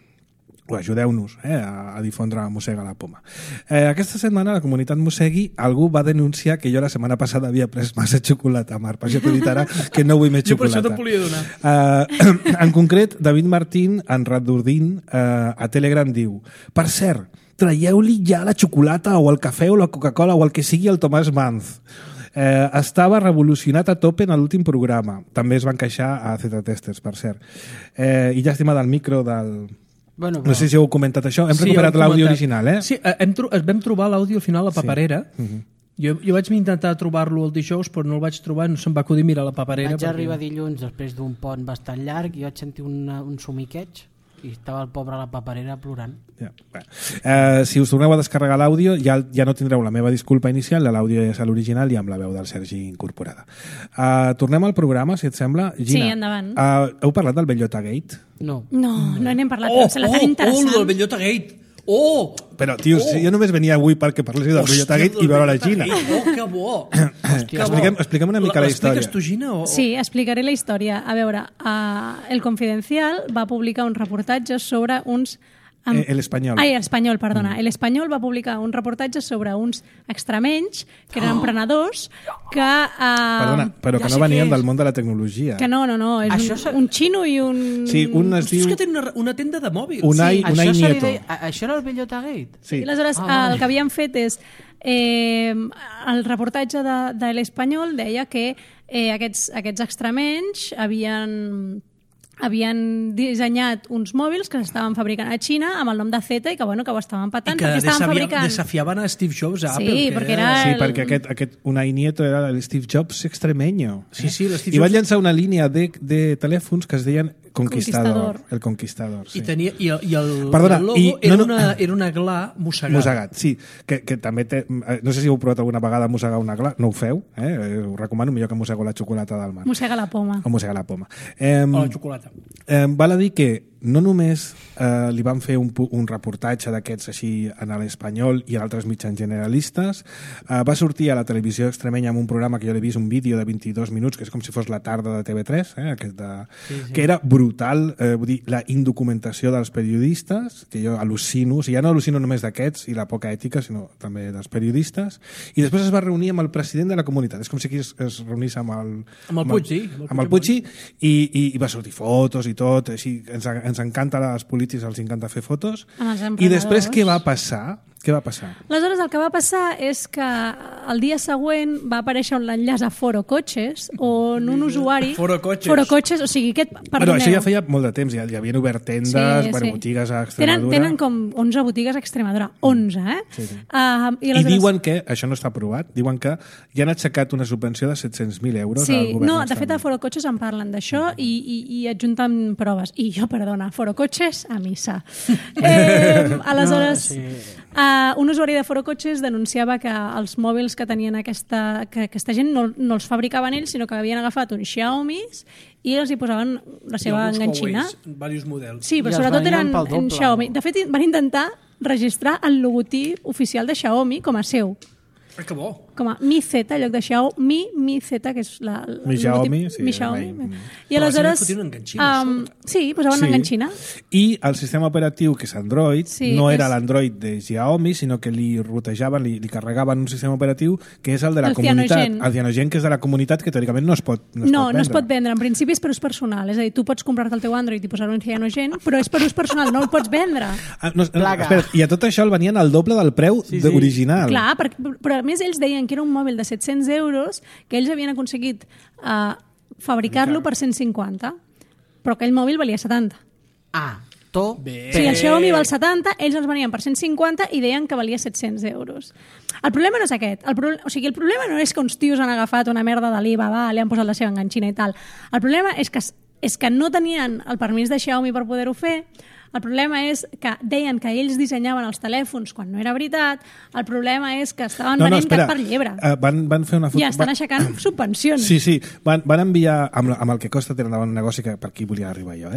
o ajudeu-nos a difondre Mossega la Poma. Aquesta setmana a la comunitat Mossegui algú va denunciar que jo la setmana passada havia pres massa xocolata, Marc, per això t'ho dit ara que no vull més xocolata. Jo per això te'n volia donar. En concret, David Martín, en Radurdín, a Telegram diu: per cert, traieu-li ja la xocolata o el cafè o la Coca-Cola o el que sigui al Tomàs Manz. Estava revolucionat a tope en l'últim programa. També es van queixar a Z-Testers, per cert. I llàstima del micro del... Bueno, però... No sé si heu comentat això. Hem recuperat l'àudio original, Sí, vam trobar l'àudio al final a la paperera. Jo vaig intentar trobar-lo el dijous, però no el vaig trobar, no se'm va acudir mirar la paperera. Vaig arribar dilluns després d'un pont bastant llarg i vaig sentir un somiqueig i estava el pobre a la paperera plorant. Si us torneu a descarregar l'àudio ja no tindreu la meva disculpa inicial, l'àudio és a l'original i amb la veu del Sergi incorporada. Tornem al programa, si et sembla. Gina, sí, endavant. Heu parlat del Bellota Gate? No n'hem parlat, però se la tan interessant. Del Bellota Gate! Oh! Però, tio, si jo només venia avui perquè parléssiu del Bellota Gate i veure la Gina. Oh, que bo! Expliquem una mica la història. L'expliques tu, Gina? O... Sí, explicaré la història. A veure, El Confidencial va publicar un reportatge sobre uns... El Espanyol. Ai, El Espanyol, perdona. El Espanyol va publicar un reportatge sobre uns extremenys, que eren emprenedors, que... Perdona, però que no venien del món de la tecnologia. Que no, és un xino i un... Sí, un es diu... És que té una tenda de mòbils. Unai Nieto. Això era el Bellota Gate? Sí. I aleshores el que havien fet és... el reportatge de l'Espanyol deia que aquests extremenys havien dissenyat uns mòbils que s'estaven fabricant a Xina amb el nom de Zeta i que ho estaven patant perquè estaven fabricant... desafiaven a Steve Jobs a Apple. Sí, perquè era... Sí, perquè aquest Unai Nieto era el Steve Jobs extremeño. Sí, l'Steve I van Jobs... llançar una línia de telèfons que es deien Conquistador. El Conquistador, sí. I el Perdona, logo era una gla mossegada. Mossegat, sí. Que també té... No sé si heu provat alguna vegada mossegar una gla. No ho feu, ho recomano, millor que mossego la xocolata del mar. Mossega la poma. O mossega la poma. O la xocolata. Val a dir que no només li van fer un reportatge d'aquests així en l'Espanyol i en altres mitjans generalistes, va sortir a la televisió extremenya amb un programa que jo l'he vist, un vídeo de 22 minuts, que és com si fos la tarda de TV3, que era brutal, vull dir, la indocumentació dels periodistes, que jo al·lucino, o sigui, ja no al·lucino només d'aquests i la poca ètica, sinó també dels periodistes, i després es va reunir amb el president de la comunitat, és com si aquí es reunís amb el Puigci, i va sortir fotos i tot, així, ens encanta als polítics, els encanta fer fotos. I després què va passar? Aleshores, el que va passar és que el dia següent va aparèixer un enllaç a Foro Cotxes on un usuari... Foro Cotxes, o sigui, Però això ja feia molt de temps, ja havien obert tendes, botigues a Extremadura... Tenen com 11 botigues a Extremadura, 11, Sí. I diuen que, això no està aprovat, diuen que ja han aixecat una subvenció de 700.000 euros al govern. No, de fet a Foro Cotxes en parlen d'això i adjunten proves. I jo, perdona, Foro Cotxes a missa. Aleshores... un usuari de Foro Cotxes denunciava que els mòbils que tenien que aquesta gent no els fabricaven ells, sinó que havien agafat uns Xiaomi i els hi posaven la seva enganxina. Diversos models. Sí, però sobretot eren en Xiaomi. De fet, van intentar registrar el logotip oficial de Xiaomi com a seu. Que bo. Com a Mi Z, en lloc de Xiaomi, Mi Z, que és Mi Xiaomi, sí. Mi Xiaomi. I aleshores... Sí, posaven una enganxina. I el sistema operatiu, que és Android, no era l'Android de Xiaomi, sinó que li rotejaven, li carregaven un sistema operatiu que és el de la comunitat. El Cyanogen, que és de la comunitat, que teòricament no es pot vendre. No es pot vendre. En principi és per ús personal. És a dir, tu pots comprar-te el teu Android i posar-ho en Cyanogen, però és per ús personal, no el pots vendre. Espera, i a tot això el venien al doble del preu original. Clar, però a més ells deien que era un mòbil de 700 euros que ells havien aconseguit fabricar-lo per 150, però aquell mòbil valia 70. Si el Xiaomi val 70, ells els venien per 150 i deien que valia 700 euros. El problema no és aquest. El problema no és que uns tios han agafat una merda de l'Alibaba, li han posat la seva enganxina i tal. El problema és que no tenien el permís de Xiaomi per poder-ho fer. El problema és que deien que ells dissenyaven els telèfons quan no era veritat. El problema és que estaven venent gat per llebre. Van fer una foto... I estan aixecant subvencions. Sí. Van enviar, amb el que costa tenir un negoci, que per aquí volia arribar jo,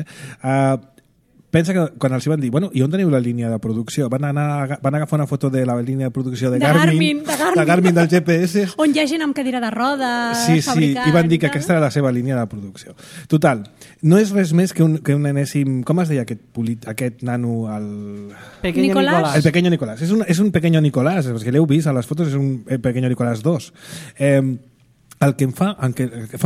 pensa que quan els van dir, i on teniu la línia de producció? Van agafar una foto de la línia de producció de Garmin del GPS. On hi ha gent amb cadira de rodes, fabricant... i van dir que aquesta era la seva línia de producció. Total, no és res més que un enèsim... Com es deia aquest nano? El Nicolás. El pequeño Nicolás. És un pequeño Nicolás, perquè l'heu vist a les fotos, és un pequeño Nicolás 2. El que em fa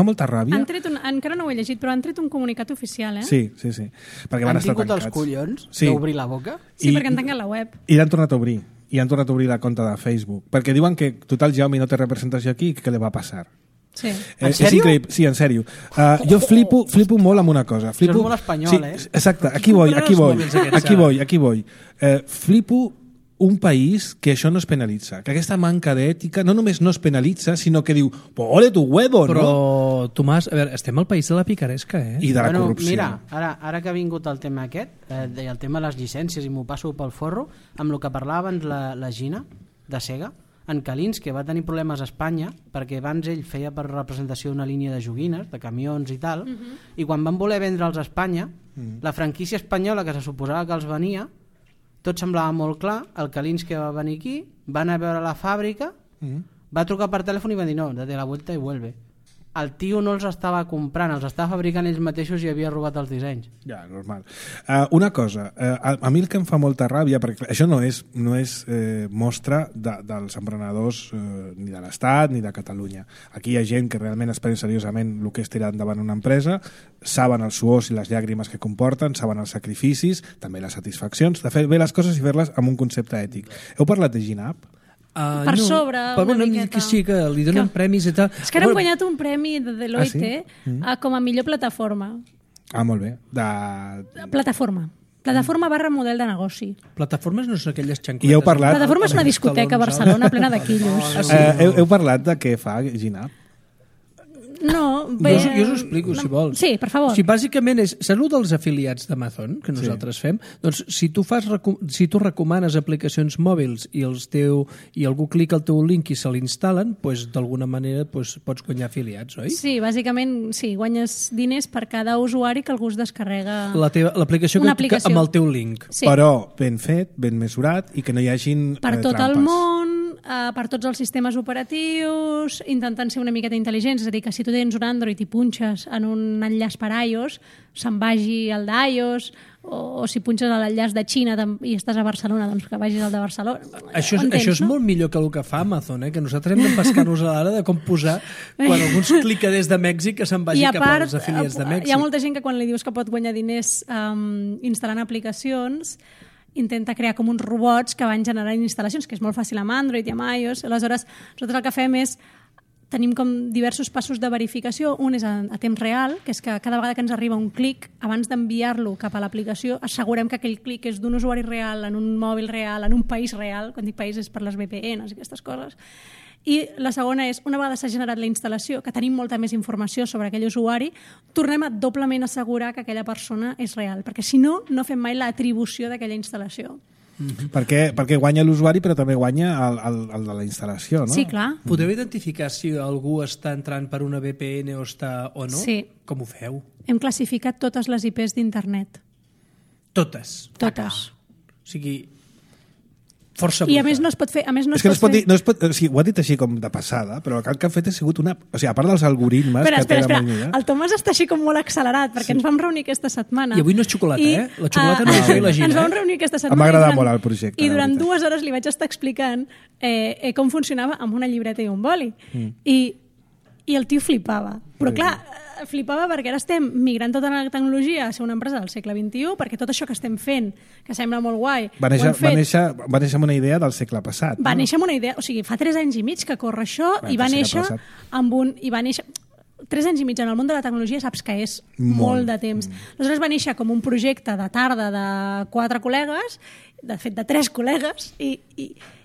molta ràbia... Encara no ho he llegit, però han tret un comunicat oficial, Sí. Perquè han tingut els collons d'obrir la boca? Sí, perquè han tancat la web. I l'han tornat a obrir. I han tornat a obrir la compte de Facebook. Perquè diuen que total Xiaomi no té representació aquí i què li va passar. Sí. En sèrio? Sí, en sèrio. Jo flipo molt amb una cosa. Això és molt espanyol, Exacte, aquí voy. Flipo un país que això no es penalitza, que aquesta manca d'ètica no només no es penalitza, sinó que diu, ole tu huevo, però, no? Però, Tomàs, a veure, estem al país de la picaresca, I de la corrupció. Mira, ara que ha vingut el tema aquest, el tema de les llicències, i m'ho passo pel forro, amb el que parlava abans la Gina, de Sega, en Calins, que va tenir problemes a Espanya, perquè abans ell feia per representació una línia de joguines, de camions i tal, i quan van voler vendre'ls a Espanya, la franquícia espanyola, que se suposava que els venia, tot semblava molt clar. El Kalinske va venir aquí, va anar a veure la fàbrica, va trucar per telèfon i va dir no, date la vuelta i vuelve. El tio no els estava comprant, els estava fabricant ells mateixos i havia robat els dissenys. Ja, normal. Una cosa, a mi el que em fa molta ràbia, perquè això no és mostra dels emprenedors ni de l'Estat ni de Catalunya. Aquí hi ha gent que realment es pren seriosament el que és tirar endavant una empresa, saben els suors i les llàgrimes que comporten, saben els sacrificis, també les satisfaccions, de fer bé les coses i fer-les amb un concepte ètic. Heu parlat de GINAP? Per sobre, una miqueta. Que sí, que li donen premis i tal. És que ara hem guanyat un premi de Deloitte com a millor plataforma. Molt bé. Plataforma. Plataforma / model de negoci. Plataformes no són aquelles xancletes. I heu parlat... Plataforma és una discoteca a Barcelona plena de quillos. Heu parlat de què fa GINAP? No, bé... Jo us ho explico, si vols. Sí, per favor. Si bàsicament és... Salut dels afiliats d'Amazon, que nosaltres fem, doncs si tu recomanes aplicacions mòbils i algú clica el teu link i se l'instal·len, doncs d'alguna manera pots guanyar afiliats, oi? Sí, bàsicament, sí, guanyes diners per cada usuari que algú es descarrega... L'aplicació amb el teu link. Sí. Però ben fet, ben mesurat i que no hi hagin per tot trampes. el món, per tots els sistemes operatius, intentant ser una miqueta intel·ligents, és a dir, que si tu tens un Android i punxes en un enllaç per iOS, se'n vagi el d'iOS, o si punxes a l'enllaç de Xina i estàs a Barcelona, doncs que vagis al de Barcelona. Això és molt millor que el que fa Amazon, que nosaltres hem de pescar-nos a l'ara de com posar quan algú clica des de Mèxic que se'n vagi cap als afiliats de Mèxic. Hi ha molta gent que quan li dius que pot guanyar diners instal·lant aplicacions intenta crear com uns robots que van generant instal·lacions, que és molt fàcil amb Android i amb iOS. Aleshores, nosaltres el que fem és tenim com diversos passos de verificació. Un és a temps real, que és que cada vegada que ens arriba un clic, abans d'enviar-lo cap a l'aplicació, assegurem que aquell clic és d'un usuari real, en un mòbil real, en un país real. Quan dic país és per les VPNs i aquestes coses. I la segona és, una vegada s'ha generat la instal·lació, que tenim molta més informació sobre aquell usuari, tornem a doblement assegurar que aquella persona és real, perquè si no, no fem mai l'atribució d'aquella instal·lació. Perquè guanya l'usuari però també guanya el de la instal·lació, no? Sí, clar. Podeu identificar si algú està entrant per una VPN o no? Sí. Com ho feu? Hem classificat totes les IPs d'internet. Totes? Totes. O sigui, força bruta. I a més no es pot fer... És que o sigui, ho ha dit així com de passada, però el que han fet ha sigut una... O sigui, a part dels algoritmes... Espera. El Tomàs està així com molt accelerat, perquè ens vam reunir aquesta setmana. I avui no és xocolata, La xocolata no és jo i la Gina. Ens vam reunir aquesta setmana. M'ha agradat molt el projecte. I durant 2 hores li vaig estar explicant com funcionava amb una llibreta i un boli. I el tio flipava. Però clar, flipava perquè ara estem migrant tota la tecnologia a ser una empresa del segle XXI, perquè tot això que estem fent, que sembla molt guai... Va néixer amb una idea del segle passat. Va néixer amb una idea... O sigui, fa 3 anys i mig que corre això i va néixer amb un... 3 anys i mig en el món de la tecnologia saps que és molt de temps. Aleshores va néixer com un projecte de tarda de 4 col·legues, de fet de 3 col·legues,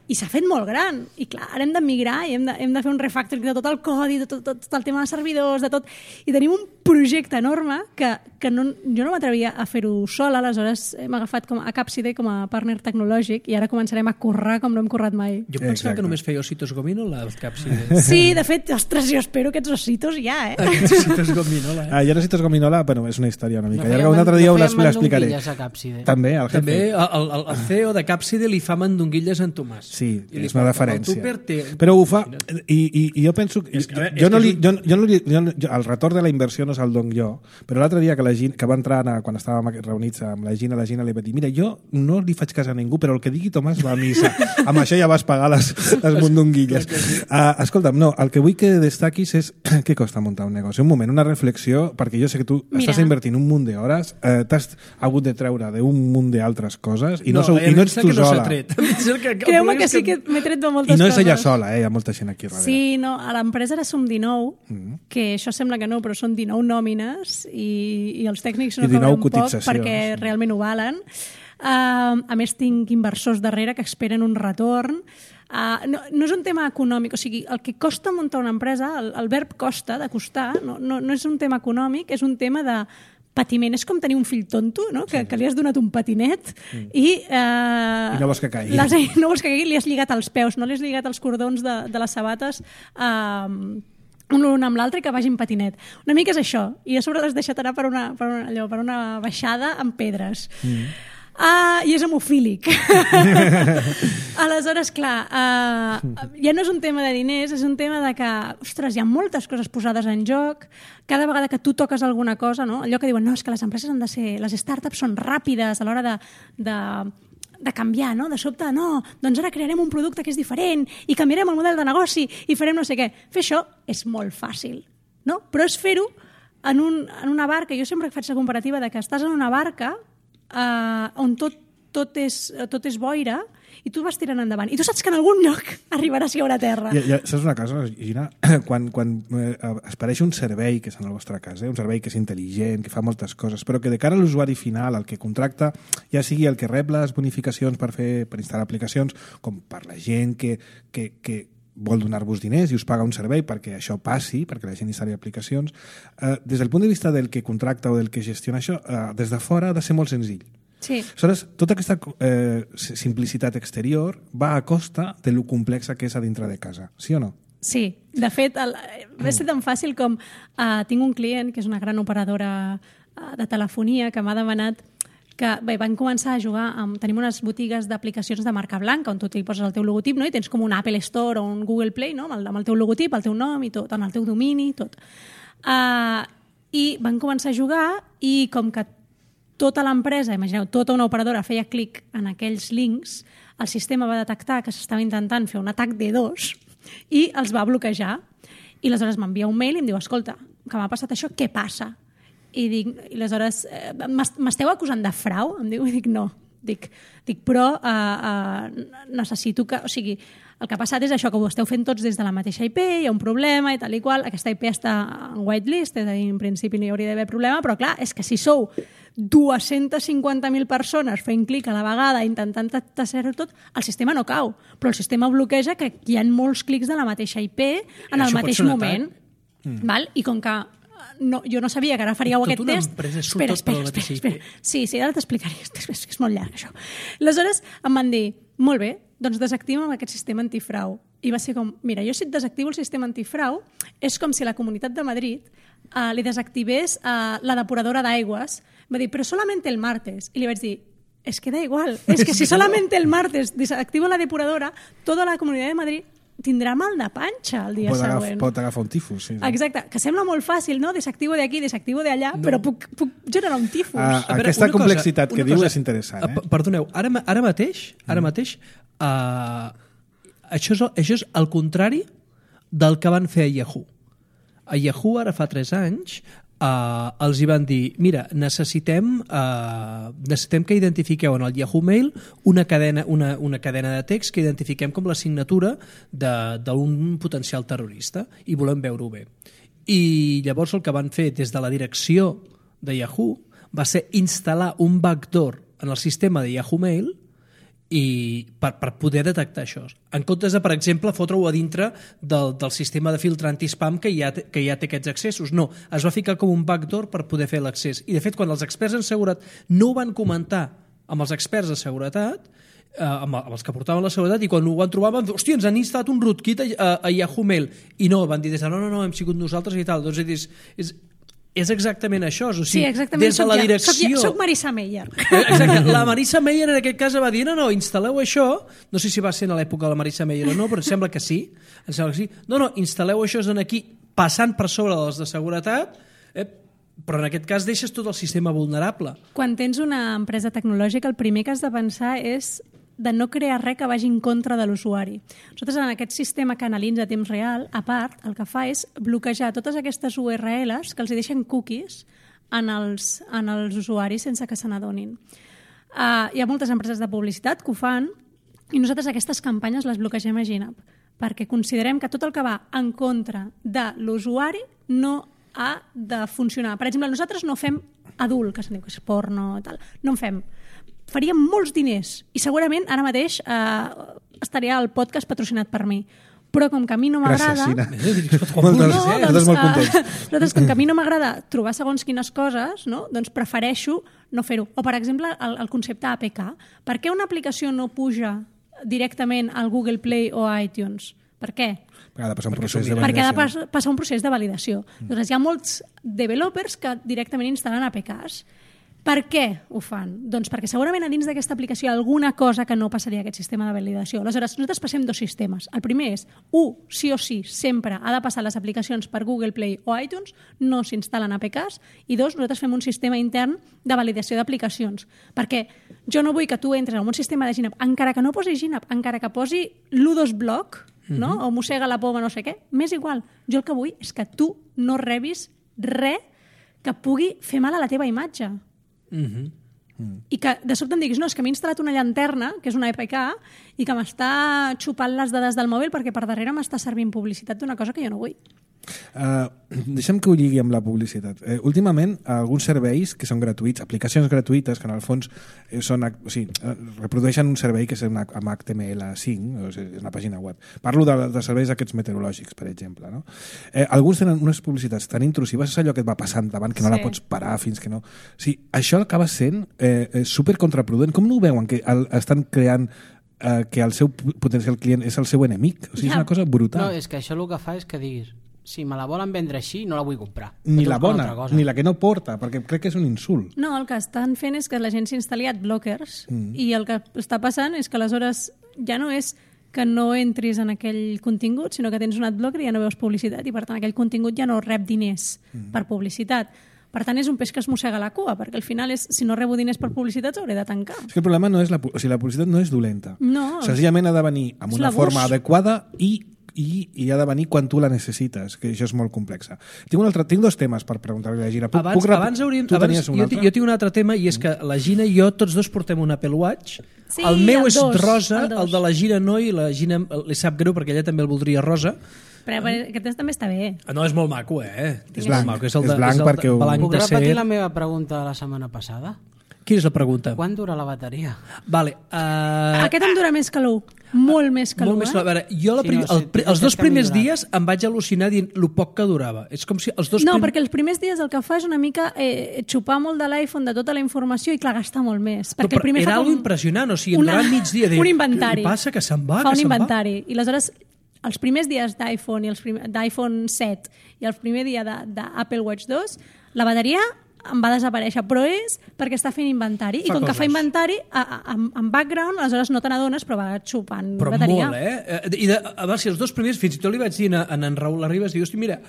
i s'ha fet molt gran. I clar, ara hem de migrar i hem de fer un refactoring de tot el codi, de tot el tema de servidors, de tot. I tenim un projecte enorme que jo no m'atrevia a fer-ho sola, aleshores hem agafat a Capside com a partner tecnològic i ara començarem a currar com no hem currat mai. Jo pensava que només feia ositos gominola, el Capside. Sí, de fet, ostres, jo espero aquests ositos ja, Aquests ositos gominola, Jo ositos gominola, bueno, és una història una mica llarga. Un altre dia l'explicaré. També, el CEO de Capside li fa mandonguilles en Tomàs. Sí, és una referència. Però ho fa... I jo penso... El retorn de la inversió no se'l dono jo, però l'altre dia que va entrar quan estàvem reunits amb la Gina li va dir, mira, jo no li faig cas a ningú, però el que digui Tomàs va a missa. Amb això ja vas pagar les mondonguilles. Escolta'm, no, el que vull que destaquis és què costa muntar un negoci. Un moment, una reflexió, perquè jo sé que tu estàs invertint un munt d'hores, t'has hagut de treure d'un munt d'altres coses i no ets tu sola. Creu-me que sí que m'he tret de moltes coses. I no és ella sola, hi ha molta gent aquí darrere. Sí, no, a l'empresa ara som 19, que això sembla que no, però són 19 nòmines i els tècnics no cobren poc perquè realment ho valen. A més, tinc inversors darrere que esperen un retorn. No és un tema econòmic, o sigui, el que costa muntar una empresa, el verb costa, de costar, no és un tema econòmic, és un tema de patiment. És com tenir un fill tonto, no? Que li has donat un patinet i no vols que caigui. No vols que caigui, li has lligat els peus, no li has lligat els cordons de les sabates un amb l'altre i que vagi en patinet. Una mica és això. I a sobre l'has deixat anar per una baixada amb pedres. I és hemofílic. Aleshores, clar, ja no és un tema de diners, és un tema de que, ostres, hi ha moltes coses posades en joc, cada vegada que tu toques alguna cosa, no? Allò que diuen, no, és que les empreses han de ser, les startups són ràpides a l'hora de canviar, no? De sobte, no, doncs ara crearem un producte que és diferent i canviarem el model de negoci i farem no sé què. Fer això és molt fàcil, no? Però és fer-ho en una barca. Jo sempre faig la comparativa de que estàs en una barca on tot és boira i tu vas tirant endavant. I tu saps que en algun lloc arribaràs a veure terra. Saps una cosa, Gina? Quan apareix un servei que és en el vostre cas, un servei que és intel·ligent, que fa moltes coses, però que de cara a l'usuari final, el que contracta, ja sigui el que rep les bonificacions per instal·lar aplicacions, com per la gent que vol donar-vos diners i us paga un servei perquè això passi, perquè la gent instal·li aplicacions, des del punt de vista del que contracta o del que gestiona això, des de fora ha de ser molt senzill. Sí. Aleshores, tota aquesta simplicitat exterior va a costa de lo complexa que és a dintre de casa, sí o no? Sí, de fet, va ser tan fàcil com tinc un client que és una gran operadora de telefonia que m'ha demanat que van començar a jugar tenim unes botigues d'aplicacions de marca blanca on tu t'hi poses el teu logotip, no? I tens com un Apple Store o un Google Play, no? Amb el teu logotip, el teu nom i tot, amb el teu domini i tot. I van començar a jugar i com que tota l'empresa, imagineu, tota una operadora feia clic en aquells links, el sistema va detectar que s'estava intentant fer un atac D2 i els va bloquejar. I aleshores m'envia un mail i em diu, escolta, que m'ha passat això, què passa? I aleshores, m'esteu acusant de frau? Em diu, i dic, no. Dic, però necessito que... O sigui, el que ha passat és això, que ho esteu fent tots des de la mateixa IP, hi ha un problema i tal i qual, aquesta IP està en whitelist, és a dir, en principi no hi hauria d'haver problema, però clar, és que si sou 250.000 persones fent clic a la vegada intentant tassejar tot, el sistema no cau, però el sistema bloqueja que hi ha molts clics de la mateixa IP en el mateix moment. Val? I com que jo no sabia que ara faríeu aquest test... Espera. Sí, ara t'explicaré, és molt llarg això. Aleshores em van dir, molt bé, doncs desactiva'm aquest sistema antifrau. I va ser com, mira, jo si et desactivo el sistema antifrau és com si la Comunitat de Madrid li desactivés la depuradora d'aigües. Va dir, però solament el martes. I li vaig dir, es que da igual, es que si solament el martes desactivo la depuradora, tota la Comunitat de Madrid tindrà mal de panxa el dia següent. Pot agafar un tifus, sí. Exacte, que sembla molt fàcil, no? Desactivo d'aquí, desactivo d'allà, però puc generar un tifus. Aquesta complexitat que diu és interessant. Perdoneu, ara mateix això és el contrari del que van fer a Yahoo. A Yahoo ara fa 3 anys els hi van dir, mira, necessitem que identifiqueu en el Yahoo Mail una cadena de text que identifiquem com la signatura d'un potencial terrorista i volem veure-ho bé. I llavors el que van fer des de la direcció de Yahoo va ser instal·lar un backdoor en el sistema de Yahoo Mail i per poder detectar això. En comptes de, per exemple, fotre-ho a dintre del sistema de filtre anti-spam que ja té aquests accessos. No, es va ficar com un backdoor per poder fer l'accés. I, de fet, quan els experts en seguretat no ho van comentar amb els experts de seguretat, amb els que portaven la seguretat, i quan ho van trobar van dir, hòstia, ens han instal·lat un rootkit a Yahoo Mail. I no, van dir, no, hem sigut nosaltres i tal. Doncs és exactament això. O sigui, sí, exactament. Des de la direcció... Soc Marisa Meyer. Exacte. La Marisa Meyer en aquest cas va dir, no, instal·leu això. No sé si va ser a l'època de la Marisa Meyer o no, però em sembla que sí. No, instal·leu això aquí, passant per sobre dels de seguretat, però en aquest cas deixes tot el sistema vulnerable. Quan tens una empresa tecnològica, el primer que has de pensar és de no crear res que vagi en contra de l'usuari. Nosaltres, en aquest sistema que analitza a temps real, a part, el que fa és bloquejar totes aquestes URLs que els deixen cookies en els usuaris sense que se n'adonin. Hi ha moltes empreses de publicitat que ho fan i nosaltres aquestes campanyes les bloquegem a GNAP perquè considerem que tot el que va en contra de l'usuari no ha de funcionar. Per exemple, nosaltres no fem adult, que se'n diu que és porno, tal. No en fem. Faríem molts diners i segurament ara mateix estaria el podcast patrocinat per mi. Però com que a mi no m'agrada... Gràcies, Sina. Nosaltres, com que a mi no m'agrada trobar segons quines coses, no? Doncs prefereixo no fer-ho. O, per exemple, el concepte APK. Per què una aplicació no puja directament al Google Play o a iTunes? Per què? Perquè ha de passar un procés de validació. Perquè ha de passar un procés de validació. Doncs hi ha molts developers que directament instal·len APKs. Per què ho fan? Doncs perquè segurament a dins d'aquesta aplicació hi ha alguna cosa que no passaria a aquest sistema de validació. Aleshores, nosaltres passem dos sistemes. El primer és, sí o sí, sempre ha de passar les aplicacions per Google Play o iTunes, no s'instal·len APKs, i dos, nosaltres fem un sistema intern de validació d'aplicacions. Perquè jo no vull que tu entres en un sistema de GNAP, encara que no posi GNAP, encara que posi l'U2 Block, no? O mossega la poma, no sé què, m'és igual. Jo el que vull és que tu no rebis res que pugui fer mal a la teva imatge. I que de sobte em diguis, no, és que m'he instal·lat una llanterna, que és una EPK, i que m'està xupant les dades del mòbil perquè per darrere m'està servint publicitat d'una cosa que jo no vull. Deixem que ho lligui amb la publicitat. Últimament, alguns serveis que són gratuïts, aplicacions gratuïtes, que en el fons reprodueixen un servei que és amb HTML5, és una pàgina web. Parlo de serveis aquests meteorològics, per exemple. No? Alguns tenen unes publicitats tan intrusives, és allò que et va passant davant, que no la pots parar fins que no... Això acaba sent supercontraproduent. Com no ho veuen, que estan creant que el seu potencial client és el seu enemic? És una cosa brutal. No, és que això el que fa és que diguis, si me la volen vendre així, no la vull comprar. Ni la bona, ni la que no porta, perquè crec que és un insult. No, el que estan fent és que la gent s'instal·li adblockers i el que està passant és que aleshores ja no és que no entris en aquell contingut, sinó que tens un adblocker i ja no veus publicitat i per tant aquell contingut ja no rep diners per publicitat. Per tant, és un peix que es mossega la cua, perquè al final, si no rebo diners per publicitat, hauré de tancar. És que el problema no és la publicitat no és dolenta. No. Senzillament ha de venir amb una forma adequada i ha de venir quan tu la necessites, que això és molt complexa. Tinc dos temes per preguntar-li a la Gina. Jo tinc un altre tema, i és que la Gina i jo tots dos portem un Apple Watch. Sí, el meu és rosa, el de la Gina no, i la Gina li sap greu perquè ella també el voldria rosa. Però aquest també està bé. No, és molt maco, És blanc, molt maco. és blanc perquè... Puc repetir la meva pregunta de la setmana passada? Quina és la pregunta? Quan dura la bateria? Vale, aquest em dura més que l'1. Molt més que l'1. A veure, jo els dos primers dies em vaig al·lucinar dient lo poc que durava. És com si els dos perquè els primers dies el que fa és una mica xupar molt de l'iPhone, de tota la informació, i clar, gastar molt més. Perquè el primer era algo impressionant, o sigui, endavant migdia. Un inventari. Què passa? Que se'n va? Fa un inventari. I aleshores, els primers dies d'iPhone, d'iPhone 7 i el primer dia d'Apple Watch 2, la bateria em va desaparèixer, però és perquè està fent inventari, i com que fa inventari en background, aleshores no te n'adones, però va xupant bateria. Però molt, si els dos primers, fins i tot li vaig dir a en Raül Arribas, diu, hosti, mira,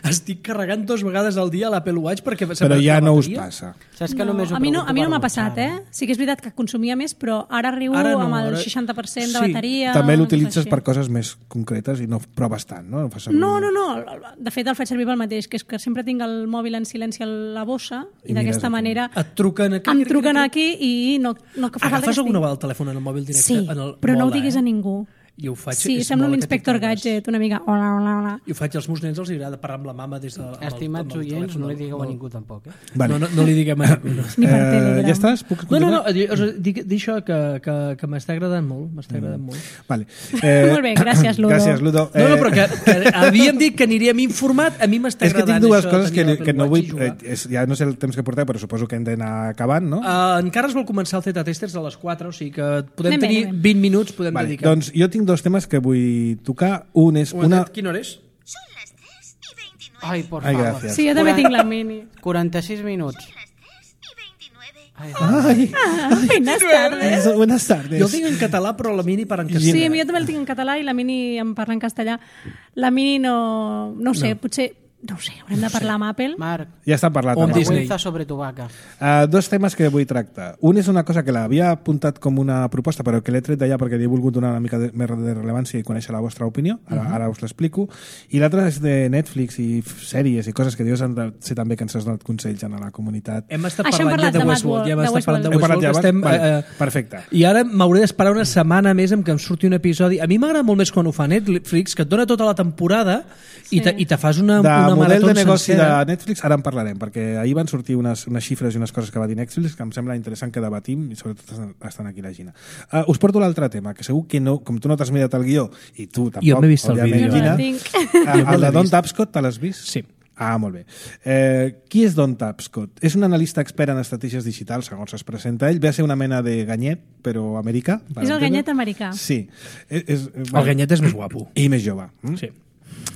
estic carregant 2 vegades al dia l'Apple Watch perquè... Però ja no us passa. Saps que només a mi no m'ha passat, Sí que és veritat que consumia més, però ara arribo amb el 60% de bateria... També l'utilitzes per coses més concretes i no proves tant, no? No. De fet, el faig servir pel mateix, que és que sempre tinc el mòbil en silenci a la bossa, i d'aquesta manera et truquen aquí i no que fa falta agafes alguna vegada el telèfon en el mòbil directe? Sí, però no ho diguis a ningú. I ho faig, sí, sembla un inspector gadget, una mica hola. I ho faig als meus nens, els agrada parlar amb la mama des de... Estimats oients, no li digueu a ningú tampoc, Vale. No li diguem a ningú. Ni per Telegram. Ja estàs? Puc continuar? No, dic això que m'està agradant molt. Vale. Molt bé, gràcies, Ludo. Gràcies, Ludo. No, però que havíem dit que aniríem informat, a mi m'està agradant. És que tinc dues coses que no vull... Ja no sé el temps que portem, però suposo que hem d'anar acabant, no? Encara es vol començar el Zeta Testers a les 4, o sigui que podem tenir 20 minuts, podem dedicar. Doncs jo tinc 2 temes que vull tocar. Un és una... Quina hora és? Son las 3:29. Ai, por favor. Gràcies. Sí, jo també tinc la mini. 46 minuts. Las 3:29. Buenas tardes. Buenas tardes. Jo el tinc en català, però la mini per en castellà. Sí, jo també el tinc en català i la mini em parla en castellà. La mini no ho sé, potser... No ho sé, haurem de parlar amb Apple. Marc, ja està parlat. O amb Disney. vergüenza sobre tu vaca. 2 temes que vull tractar. Un és una cosa que l'havia apuntat com una proposta, però que l'he tret d'allà perquè li he volgut donar una mica més de rellevància i conèixer la vostra opinió. Ara us l'explico. I l'altra és de Netflix i sèries i coses que dius han de ser també que ens has donat consells a la comunitat. Hem estat parlant ja de Westworld. Ja hem estat parlant de Westworld. Perfecte. I ara m'hauré d'esperar una setmana més en què em surti un episodi. A mi m'agrada molt més quan ho fa Netflix, que et dona tota la temporada i te fas una model de negoci sencera. de Netflix ara en parlarem, perquè ahir van sortir unes xifres i unes coses que va dir Netflix que em sembla interessant que debatim i sobretot estan aquí la Gina. Us porto l'altre tema, que segur que no, com tu no t'has mirat el guió i tu tampoc, jo m'he vist el vídeo. Gina, el de Don Tapscott te l'has vist? Sí. Molt bé. Qui és Don Tapscott? És un analista expert en estratègies digitals, segons es presenta ell. Ve a ser una mena de ganyet, però americà. És el ganyet americà. Sí. El ganyet és més guapo. I més jove. Sí.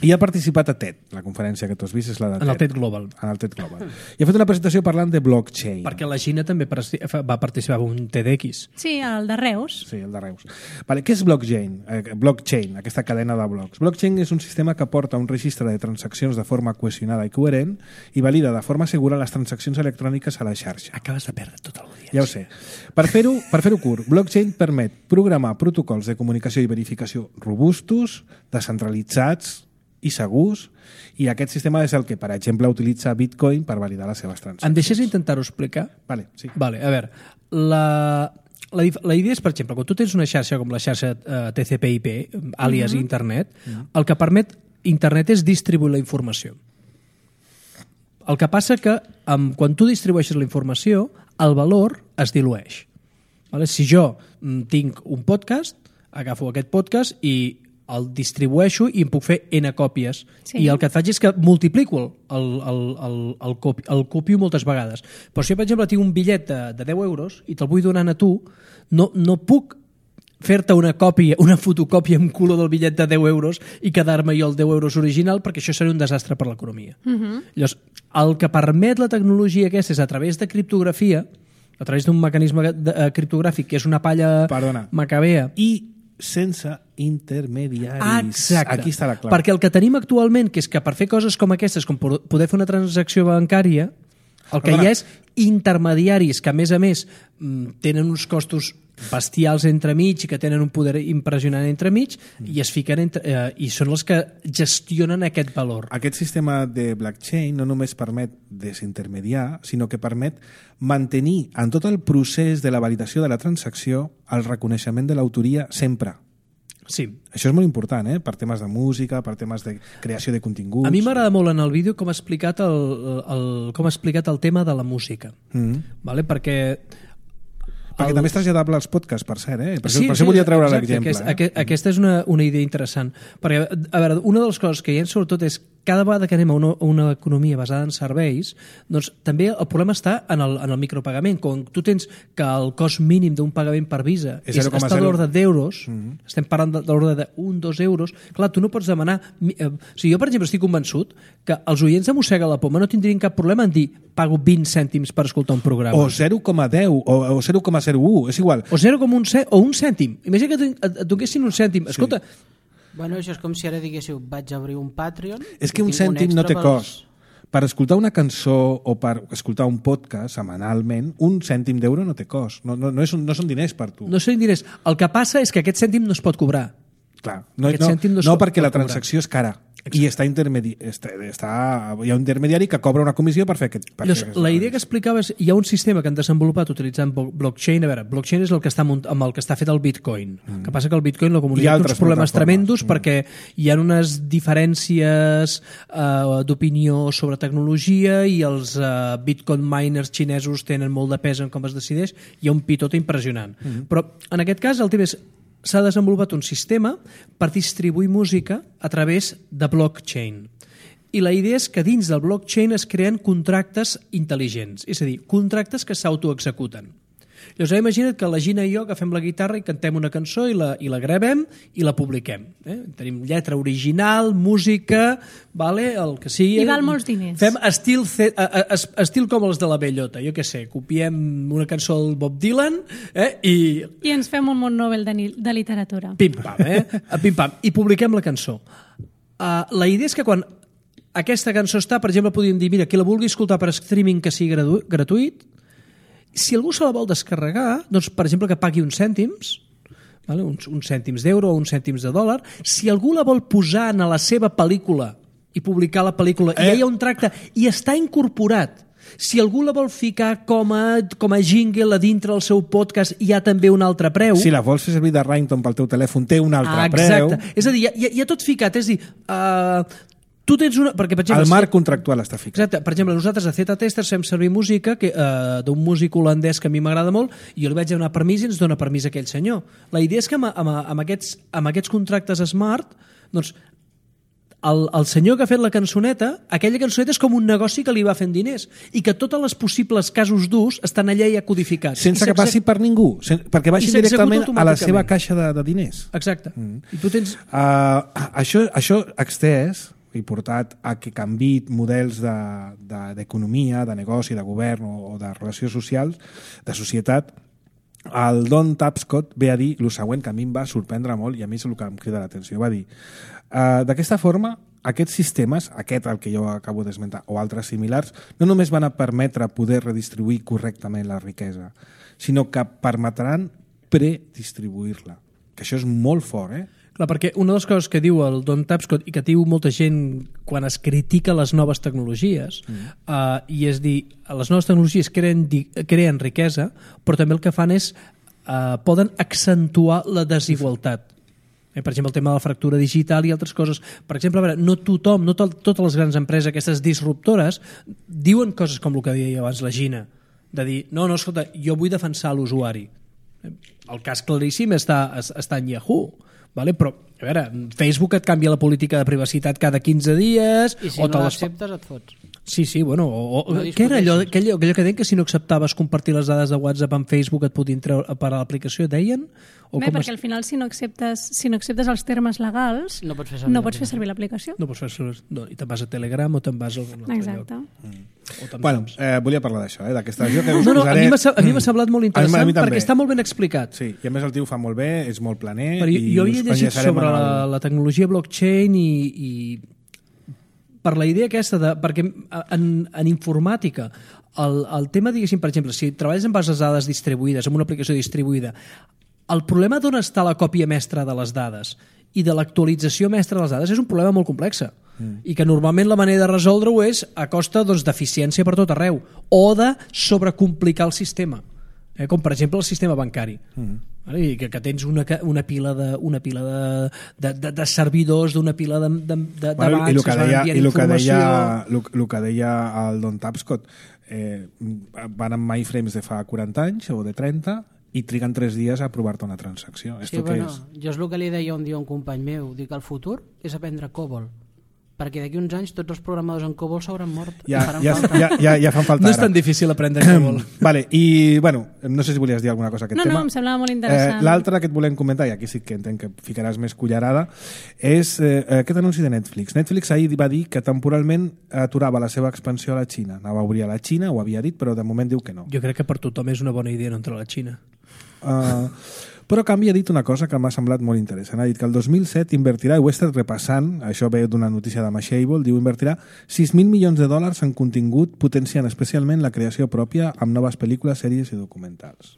I ha participat a TED, la conferència que tu has vist és la de TED. En el TED Global. En el TED Global. I ha fet una presentació parlant de blockchain. Perquè la Xina també va participar en un TEDx. Sí, el de Reus. Sí, el de Reus. Vale, què és blockchain? Blockchain, aquesta cadena de blocs. Blockchain és un sistema que aporta un registre de transaccions de forma cohesionada i coherent i valida de forma segura les transaccions electròniques a la xarxa. Acabes de perdre tota l'audiència. Ja ho sé. Per fer-ho curt, blockchain permet programar protocols de comunicació i verificació robustos, descentralitzats i segurs, i aquest sistema és el que, per exemple, utilitza Bitcoin per validar les seves transaccions. Em deixes intentar-ho explicar? Vale, sí. Vale, a veure, la idea és, per exemple, quan tu tens una xarxa com la xarxa TCP/IP, àlies internet, el que permet internet és distribuir la informació. El que passa que quan tu distribueixes la informació, el valor es dilueix. Vale? Si jo tinc un podcast, agafo aquest podcast i el distribueixo i em puc fer N còpies. Sí. I el que faig és que multiplico el copio moltes vegades. Però si jo, per exemple, tinc un bitllet de 10 euros i te'l vull donar a tu, no puc fer-te una fotocòpia amb color del bitllet de 10 euros i quedar-me jo el 10 euros original, perquè això seria un desastre per l'economia. Llavors, el que permet la tecnologia aquesta és a través de criptografia, a través d'un mecanisme criptogràfic que és una palla macabea. I sense intermediaris. Exacte. Aquí està la clau. Perquè el que tenim actualment, que és que per fer coses com aquestes, com poder fer una transacció bancària, el que hi ha és intermediaris que, a més, tenen uns costos bestials entremig i que tenen un poder impressionant entremig i es fiquen i són els que gestionen aquest valor. Aquest sistema de blockchain no només permet desintermediar, sinó que permet mantenir en tot el procés de la validació de la transacció el reconeixement de l'autoria sempre. Sí. Això és molt important, per temes de música, per temes de creació de continguts. A mi m'agrada molt en el vídeo com ha explicat el tema de la música. Vale? Perquè també és traslladable als podcasts, per cert, per això volia treure l'exemple. Aquesta és una idea interessant. Perquè, a veure, una de les coses que hi ha sobretot és cada vegada que anem a una economia basada en serveis, doncs també el problema està en el micropagament. Quan tu tens que el cost mínim d'un pagament per Visa està a l'ordre d'euros, estem parlant de l'ordre de 1-2 euros, clar, tu no pots demanar... Jo, per exemple, estic convençut que els oients de Mossega la Poma no tindrien cap problema en dir pago 20 cèntims per escoltar un programa. O 0,10 o 0,01, és igual. O un cèntim. Imagina que et donessin un cèntim. Escolta... Bueno, això és com si ara diguéssiu vaig obrir un Patreon... És que un cèntim no té cost. Per escoltar una cançó o per escoltar un podcast setmanalment, un cèntim d'euro no té cost. No són diners per tu. No són diners. El que passa és que aquest cèntim no es pot cobrar. Clar, no perquè la transacció és cara. Exacte. I hi ha un intermediari que cobra una comissió per fer aquest... La idea que explicava és hi ha un sistema que han desenvolupat utilitzant blockchain. A veure, blockchain és el que està amb el que està fet el Bitcoin. El que passa que el Bitcoin la comunitat té uns problemes tremendos perquè hi ha unes diferències d'opinió sobre tecnologia i els Bitcoin miners xinesos tenen molt de pes en com es decideix. Hi ha un pitot impressionant. Però en aquest cas el tema és s'ha desenvolupat un sistema per distribuir música a través de blockchain. I la idea és que dins del blockchain es creen contractes intel·ligents, és a dir, contractes que s'autoexecuten. Llavors, imagina't que la Gina i jo agafem la guitarra i cantem una cançó i la gravem i la publiquem. Tenim lletra original, música, el que sigui. I val molts diners. Fem estil com els de la Bellota, jo què sé, copiem una cançó del Bob Dylan i ens fem un món Nobel de literatura. Pim-pam, pim-pam, i publiquem la cançó. La idea és que quan aquesta cançó està, per exemple, podríem dir, mira, qui la vulgui escoltar per streaming que sigui gratuït, si algú se la vol descarregar, doncs, per exemple, que pagui uns cèntims, uns cèntims d'euro o uns cèntims de dòlar. Si algú la vol posar en la seva pel·lícula i publicar la pel·lícula, i hi ha un tracte i està incorporat. Si algú la vol ficar com a jingle a dintre del seu podcast, hi ha també un altre preu. Si la vols fer servir de ringtone pel teu telèfon, té un altre preu. Exacte. És a dir, hi ha tot ficat. És a dir, tu tens una... Perquè, per exemple, el marc contractual està ficat. Exacte. Per exemple, nosaltres a Z-Testers fem servir música d'un músic holandès que a mi m'agrada molt i jo li vaig donar permís i ens dona permís aquell senyor. La idea és que amb aquests contractes smart, doncs, el senyor que ha fet la cançoneta, aquella cançoneta és com un negoci que li va fent diners i que tots els possibles casos d'ús estan allà ja codificats. Sense que passi per ningú, perquè vagi directament a la seva caixa de diners. Exacte. I tu tens... Això extès i portat a que canviï models d'economia, de negoci, de govern o de relacions socials, de societat. El Don Tapscott ve a dir el següent que a mi em va sorprendre molt i a mi és el que em crida l'atenció. Va dir, d'aquesta forma, aquests sistemes, aquest el que jo acabo d'esmentar, o altres similars, no només van a permetre poder redistribuir correctament la riquesa, sinó que permetran predistribuir-la. Que això és molt fort, eh? Clar, perquè una de les coses que diu el Don Tapscott i que diu molta gent quan es critica les noves tecnologies i és dir, les noves tecnologies creen riquesa, però també el que fan és poden accentuar la desigualtat. Per exemple, el tema de la fractura digital i altres coses. Per exemple, a veure, no tothom, no totes les grans empreses, aquestes disruptores, diuen coses com el que deia abans la Gina, de dir, no, escolta, jo vull defensar l'usuari. El cas claríssim està en Yahoo, vale? Però, a veure, Facebook et canvia la política de privacitat cada 15 dies... I si no l'acceptes et fots. Sí, bueno, què era allò que deien que si no acceptaves compartir les dades de WhatsApp amb Facebook et podien treure per a l'aplicació, deien? Perquè al final si no acceptes els termes legals no pots fer servir l'aplicació. No pots fer servir, i te'n vas a Telegram o te'n vas a algun altre Exacte. lloc. Bueno, volia parlar d'això, d'aquesta regió que us posaré... A mi m'ha semblat molt interessant perquè està molt ben explicat. Sí, i a més el tio fa molt bé, és molt planer. Però jo havia llegit sobre la tecnologia blockchain i per la idea aquesta perquè en informàtica el tema, diguéssim, per exemple, si treballes amb bases de dades distribuïdes, amb una aplicació distribuïda, el problema d'on està la còpia mestra de les dades i de l'actualització mestra de les dades és un problema molt complex i que normalment la manera de resoldre-ho és a costa d'eficiència per tot arreu o de sobrecomplicar el sistema, com per exemple el sistema bancari. I que tens una pila de servidors, d'una pila de bancs i el que deia el Don Tapscott, van amb MyFrames de fa 40 anys o de 30 i triguen 3 dies a aprovar-te una transacció. Sí, bueno, jo és el que li deia un dia a un company meu, dic que el futur és aprendre COBOL, perquè d'aquí uns anys tots els programadors en COBOL s'hauran mort. Ja fan falta no és tan difícil aprendre COBOL. Vale, i bueno, no sé si volies dir alguna cosa a aquest tema. No, em semblava molt interessant. L'altre que et volem comentar, i aquí sí que entenc que ficaràs més cullerada, és aquest anunci de Netflix. Netflix ahir va dir que temporalment aturava la seva expansió a la Xina. Anava a obrir a la Xina, ho havia dit, però de moment diu que no. Jo crec que per tothom és una bona idea no entrar a la Xina. Però a canvi ha dit una cosa que m'ha semblat molt interessant. Ha dit que el 2007 invertirà, i ho he estat repassant, això ve d'una notícia de Mashable, diu invertirà $6.000 milions en contingut, potenciant especialment la creació pròpia amb noves pel·lícules, sèries i documentals.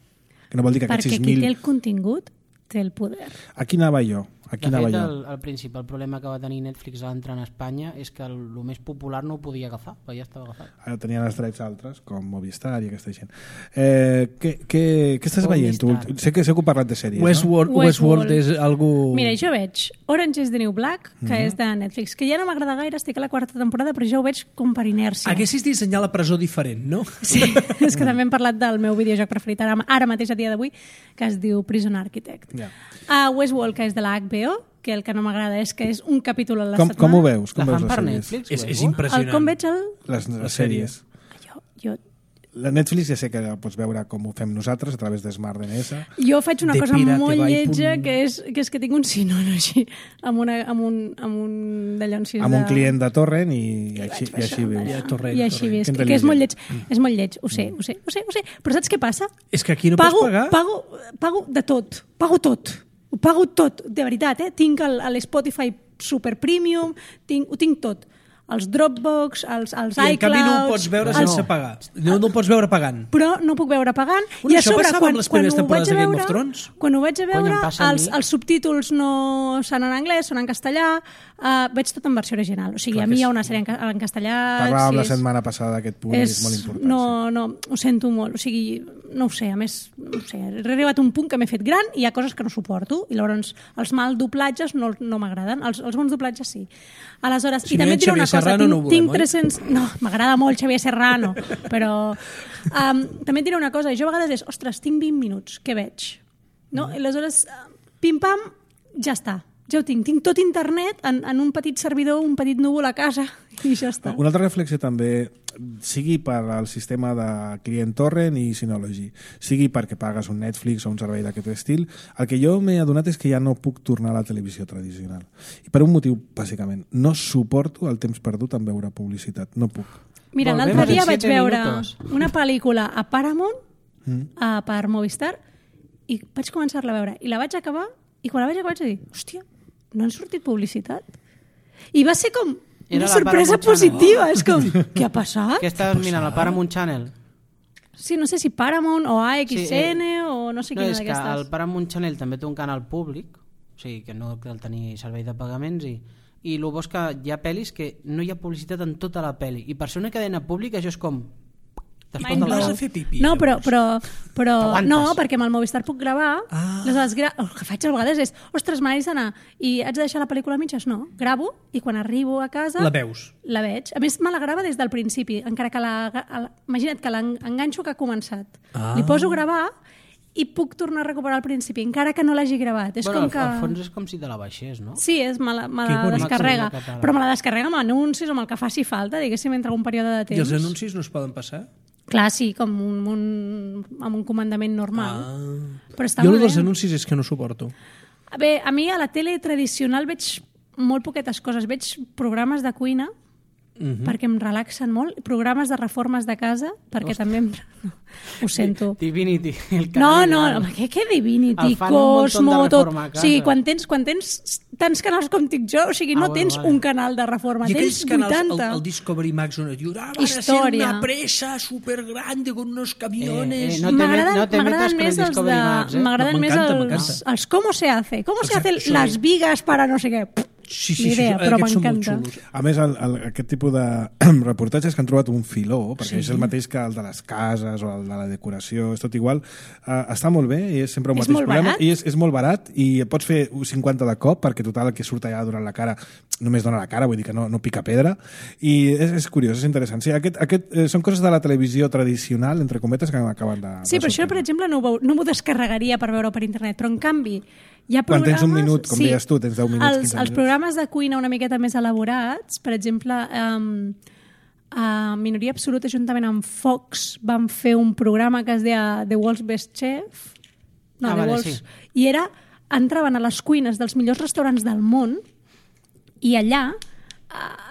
Que no vol dir que aquests 6.000... Perquè qui té el contingut té el poder. Aquí anava jo. De fet, el principal problema que va tenir Netflix a l'entrar en Espanya és que el més popular no ho podia agafar, perquè ja estava agafat. Ara tenien els drets altres, com Movistar i aquesta gent. Què estàs veient? Sé que heu parlat de sèries, Westworld és algú... Mira, jo veig Orange is the New Black, que és de Netflix, que ja no m'agrada gaire, estic a la 4ª temporada, però ja ho veig com per inèrcia. Haguessis dissenyar la presó diferent, no? Sí, és que també hem parlat del meu videojoc preferit ara mateix a dia d'avui, que es diu Prison Architect. Westworld, que és de la HBO, que el que no m'agrada és que és un capítol a la setmana. Com ho veus? La fan per Netflix? És impressionant. Com veig les sèries. La Netflix ja sé que pots veure com ho fem nosaltres a través de Smart DNS. Jo faig una cosa molt lletja, que és que tinc un Synology amb un d'allò amb un client de torrent i així vius. I així vius, que és molt lleig. És molt lleig, ho sé. Però saps què passa? És que aquí no pots pagar. Pago de tot. Pago tot. Ho pago tot, de veritat. Tinc l'Spotify Super Premium, ho tinc tot. Els Dropbox, els iCloud... I en canvi no ho pots veure sense pagar. No ho pots veure pagant. Però no puc veure pagant. I a sobre, amb les primeres temporades de Game of Thrones? Quan ho vaig a veure, els subtítols no són en anglès, són en castellà, veig tot en versió original. O sigui, a mi hi ha una sèrie en castellà... Parlàvem la setmana passada d'aquest punt, és molt important. No, ho sento molt. O sigui, no ho sé, a més, he arribat a un punt que m'he fet gran i hi ha coses que no suporto, i llavors els mal doblatges no m'agraden, els bons doblatges sí. Aleshores, i també et diré una cosa, tinc 300... No, m'agrada molt Xavier Serrano, però també et diré una cosa, jo a vegades és, ostres, tinc 20 minuts, què veig? No? I aleshores, pim-pam, ja està. ja ho tinc. Tinc tot internet en un petit servidor, un petit núvol a casa i ja està. Una altra reflexió també, sigui per al sistema de client torrent i Synology, sigui perquè pagues un Netflix o un servei d'aquest estil, el que jo m'he adonat és que ja no puc tornar a la televisió tradicional. I per un motiu, bàsicament. No suporto el temps perdut en veure publicitat. No puc. Mira, Volvemos l'altre dia en vaig 7 veure minutos. una pel·lícula a Paramount, per Movistar, i vaig començar-la a veure. I la vaig acabar, i quan la vaig acabar vaig dir, hòstia, no han sortit publicitat? I va ser com Era una la sorpresa Paramount Channel. positiva. És com, què ha passat? Què estaves mirant? La Paramount Channel? Sí, no sé si Paramount o AXN o no sé No, quina és que d'aquestes. el Paramount Channel també té un canal públic, o sigui que no cal tenir servei de pagaments i el bo és que hi ha pel·lis que no hi ha publicitat en tota la pel·li i per ser una cadena pública això és com I quan vas a fer pipí? No, però T'aguantes. no, perquè amb el Movistar puc gravar. Aleshores, el que faig a vegades és, ostres, m'haig d'anar i haig de deixar la pel·lícula a mitges? No, gravo i quan arribo a casa... La veus? La veig. A més, me la grava des del principi, encara que imagina't que l'enganxo que ha començat. Li poso a gravar i puc tornar a recuperar al principi, encara que no l'hagi gravat. És bueno, com que... al fons és com si te la baixés, no? Sí, me la bonic. descarrega, Màxim de català. però me la descarrega amb anuncis o amb el que faci falta, diguéssim, entre un període de temps. I els anuncis no es poden passar? Clar, sí, com amb un comandament normal. Però està Jo molt el dels bé. anuncis és que no suporto. Bé, a mi a la tele tradicional veig molt poquetes coses. Veig programes de cuina, perquè em relaxen molt, programes de reformes de casa, perquè també ho sento. Divinity. El No, canal. què Divinity, El fan un Cosmo, muntó de tot. reforma a O sigui, casa. quan tens tants canals com tinc jo, o sigui, no bueno, tens vale. un canal de reforma, I tens aquells canals, 80. el Discovery Max, on et diu, van a ser Història. una presa supergrande con unos camiones... no te M'agraden metas con el més els Discovery Max, eh? m'agraden No, més m'encanta. els cómo se hace. ¿Cómo se Exacte, hacen sí. las vigas para no sé què? Sí, Ni idea, però aquests són molt m'encanta. xulos. A més, aquest tipus de reportatges que han trobat un filó, perquè és el mateix que el de les cases o el de la decoració, és tot igual, està molt bé i és sempre un És mateix molt problema. barat. I és molt barat i pots fer 50 de cop, perquè total el que surt allà donant la cara només dona la cara, vull dir que no pica pedra, i és curiós, és interessant. Sí, són coses de la televisió tradicional, entre cometes, que m'acaben de... Sí, però això, per exemple, no m'ho descarregaria per veure per internet, però en canvi hi ha Quan programes... tens un minut, com deies tu, tens 10 minuts, 15 Els minuts. programes de cuina una miqueta més elaborats, per exemple, a Minoria Absoluta, juntament amb Fox, van fer un programa que es deia The World's Best Chef, no, The vale, World's... sí. I entraven a les cuines dels millors restaurants del món i allà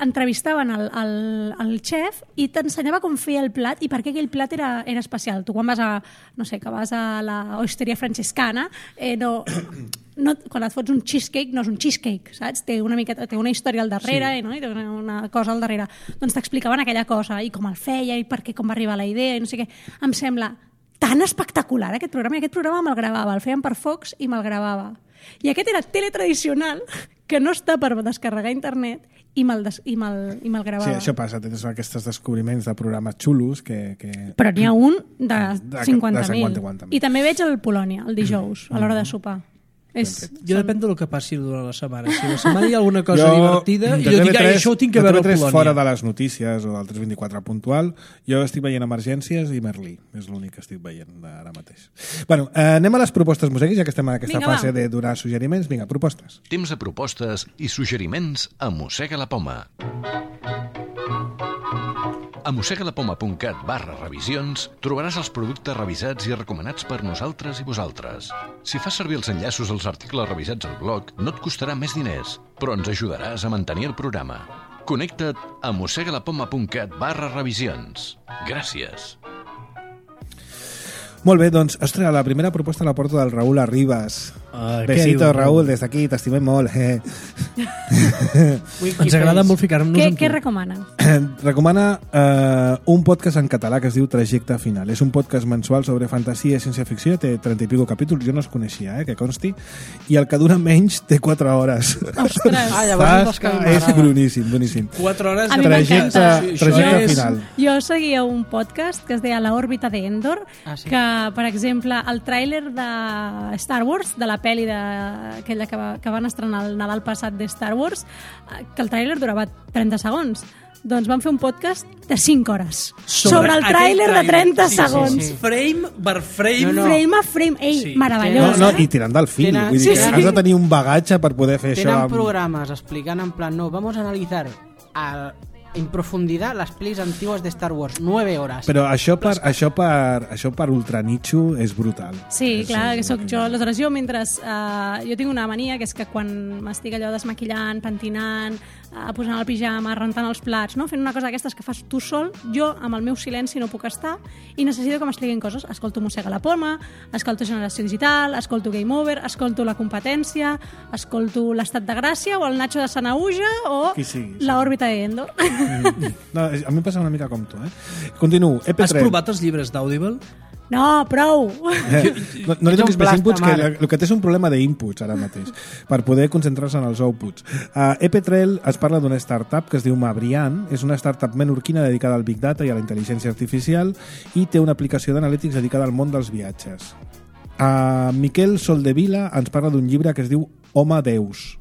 entrevistaven el xef i t'ensenyava com feia el plat i per què aquell plat era especial. Tu quan vas a la osteria francescana, quan et fots un cheesecake, no és un cheesecake, saps? Té una història al darrere, no? I té una cosa al darrere. Doncs t'explicaven aquella cosa i com el feia i per què, com va arribar la idea i no sé què. Em sembla tan espectacular aquest programa, i aquest programa me'l gravava, el feien per Fox i me'l gravava. I aquest era teletradicional, que no està per descarregar a internet, i me'l gravava. Sí, això passa, tens aquests descobriments de programes xulos que... Però n'hi ha un de de 50.000. 50.000. I també veig el Polònia, el dijous, a l'hora de sopar. Jo depèn del que passi durant la setmana. Si la setmana hi ha alguna cosa divertida, de jo dic, TV3, això ho tinc que veure al de TV3 Polònia. fora de les notícies o del 324 puntual, jo estic veient Emergències i Merlí. És l'únic que estic veient ara mateix. Bueno, anem a les propostes museguis, ja que estem en aquesta Vinga, fase va. de donar suggeriments. Vinga, propostes. Temps de propostes i suggeriments a Mossega la Poma. A mossegalapoma.cat/revisions trobaràs els productes revisats i recomanats per nosaltres i vosaltres. Si fas servir els enllaços als articles revisats al blog, no et costarà més diners, però ens ajudaràs a mantenir el programa. Connecta't a mossegalapoma.cat/revisions. Gràcies. Molt bé, doncs, ostres, la primera proposta la porto del Raúl Arribas. Què Besito, diu, Raúl, des d'aquí, t'estimem molt. Ens agrada molt ficar-nos amb Què tu. recomanen? Recomana un podcast en català que es diu Trajecte Final. És un podcast mensual sobre fantasia i ciència-ficció, té 30 i pico capítols, jo no els coneixia, que consti, i el que dura menys té 4 hores. Ostres! llavors dels que És m'agrada. boníssim, boníssim. 4 hores A de mi m'encanta. Trajecte Final. Jo seguia un podcast que es deia La òrbita d'Endor, sí. que, per exemple, el tràiler de Star Wars, de la pel·li aquella que van estrenar el Nadal passat de Star Wars, que el tràiler durava 30 segons. Doncs vam fer un podcast de 5 hores sobre el tràiler de 30 segons. sí. Frame per frame. Frame a frame. Ei, Sí. meravellós. I tirant del fil. Tenen- Vull dir que Sí, sí. has de tenir un bagatge per poder fer això. Tenen programes explicant en plan, no, vamos a analizar en profundidad las pelis antiguas de Star Wars, 9 horas. Però això per ultranitxo és brutal. Sí, És, clar, que sóc jo. Aleshores, jo mentre... jo tinc una mania, que és que quan m'estic allò desmaquillant, pentinant, posant el pijama, rentant els plats, no? Fent una cosa d'aquestes que fas tu sol, jo amb el meu silenci no puc estar i necessito que m'expliquin coses. Escolto Mossega la Poma, escolto Generació Digital, escolto Game Over, escolto La Competència, escolto l'Estat de Gràcia o el Nacho de Sanauja o Qui sigui, sí. l'òrbita de Endo. No, a mi em passa una mica com tu, Continuo. Has EP3. provat els llibres d'Audible? No, prou! No li toquis un més plasta, inputs, que Marc. el que té és un problema d'inputs ara mateix, per poder concentrar-se en els outputs. EP3 es parla d'una startup que es diu Mabrian, és una startup menorquina dedicada al Big Data i a la intel·ligència artificial i té una aplicació d'analítics dedicada al món dels viatges. Miquel Soldevila ens parla d'un llibre que es diu Home Deus.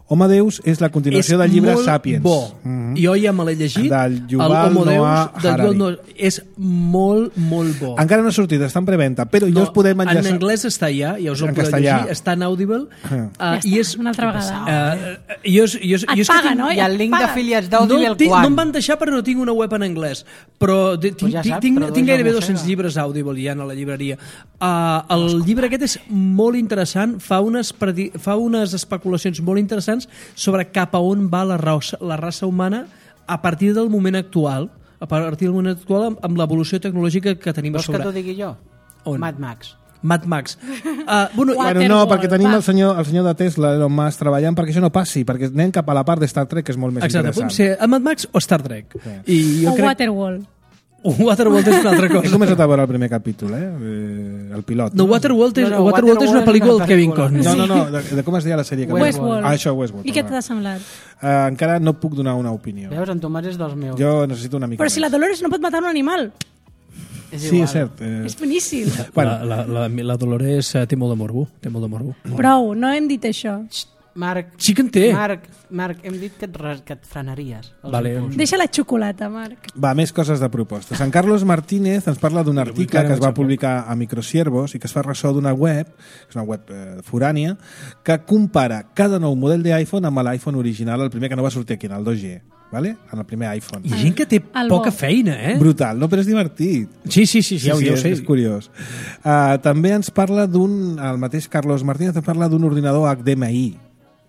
Home Deus és la continuació del llibre Sapiens. Bo. Jo ja me l'he llegit. Del el Yuval Homo Deus, Noah del Harari. Yuval Noah. És molt, molt bo. Encara no ha sortit, està en preventa, però ja us podem en enllaçar... anglès està ja us el En podeu castellà. llegir, està en Audible. Ja I està, és... una altra vegada. Et paga, no? I el link Paga. d'afiliats No, d'Audible no quan? em van deixar perquè no tinc una web en anglès, però tinc, ja saps, tinc tradueix gairebé la 200 mossega. llibres Audible ja a la llibreria. El llibre aquest és molt interessant, fa unes especulacions molt interessants sobre cap a on va la raça humana a partir del moment actual, amb l'evolució tecnològica que tenim a Vols que sobre. t'ho digui jo? On? Mad Max. Mad Max. Bueno, Bueno, no, perquè tenim el senyor de Tesla, Elon Musk, treballant perquè això no passi, perquè anem cap a la part de Star Trek, que és molt més exacte, interessant. pot ser a Mad Max o Star Trek. I jo O crec... Waterworld. Waterworld és una altra He cosa. començat a veure el primer capítol, el pilot. No, Waterworld és, No, Waterworld és una pel·lícula del Kevin pel·lícula. Costner. No, de com es deia la sèrie? Que Westworld. Això, Westworld. I què t'ha semblat? Encara no puc donar una opinió. Veus, en Tomàs és dels meus. Jo necessito una mica Però si la Dolores no pot matar un animal. És Sí, igual. és cert. És boníssim. Bueno. La Dolores té molt de morbo. Té molt de morbo. Prou, no hem dit això. Marc, Sí que en té. Marc, hem dit que et frenaries. els Vale. impulsos. Deixa la xocolata, Marc. Va, més coses de propostes. Sant Carlos Martínez ens parla d'un article que es va publicar a Microsiervos i que es fa ressò d'una web, que és una web forània, que compara cada nou model d'iPhone amb l'iPhone original, el primer que no va sortir aquí, en el 2G, ¿vale? En el primer iPhone. Hi ha gent que té El poca bo. feina, Brutal, no? Però és divertit. Sí, ja ho sé. És curiós. També ens parla el mateix Carlos Martínez ens parla d'un ordinador HDMI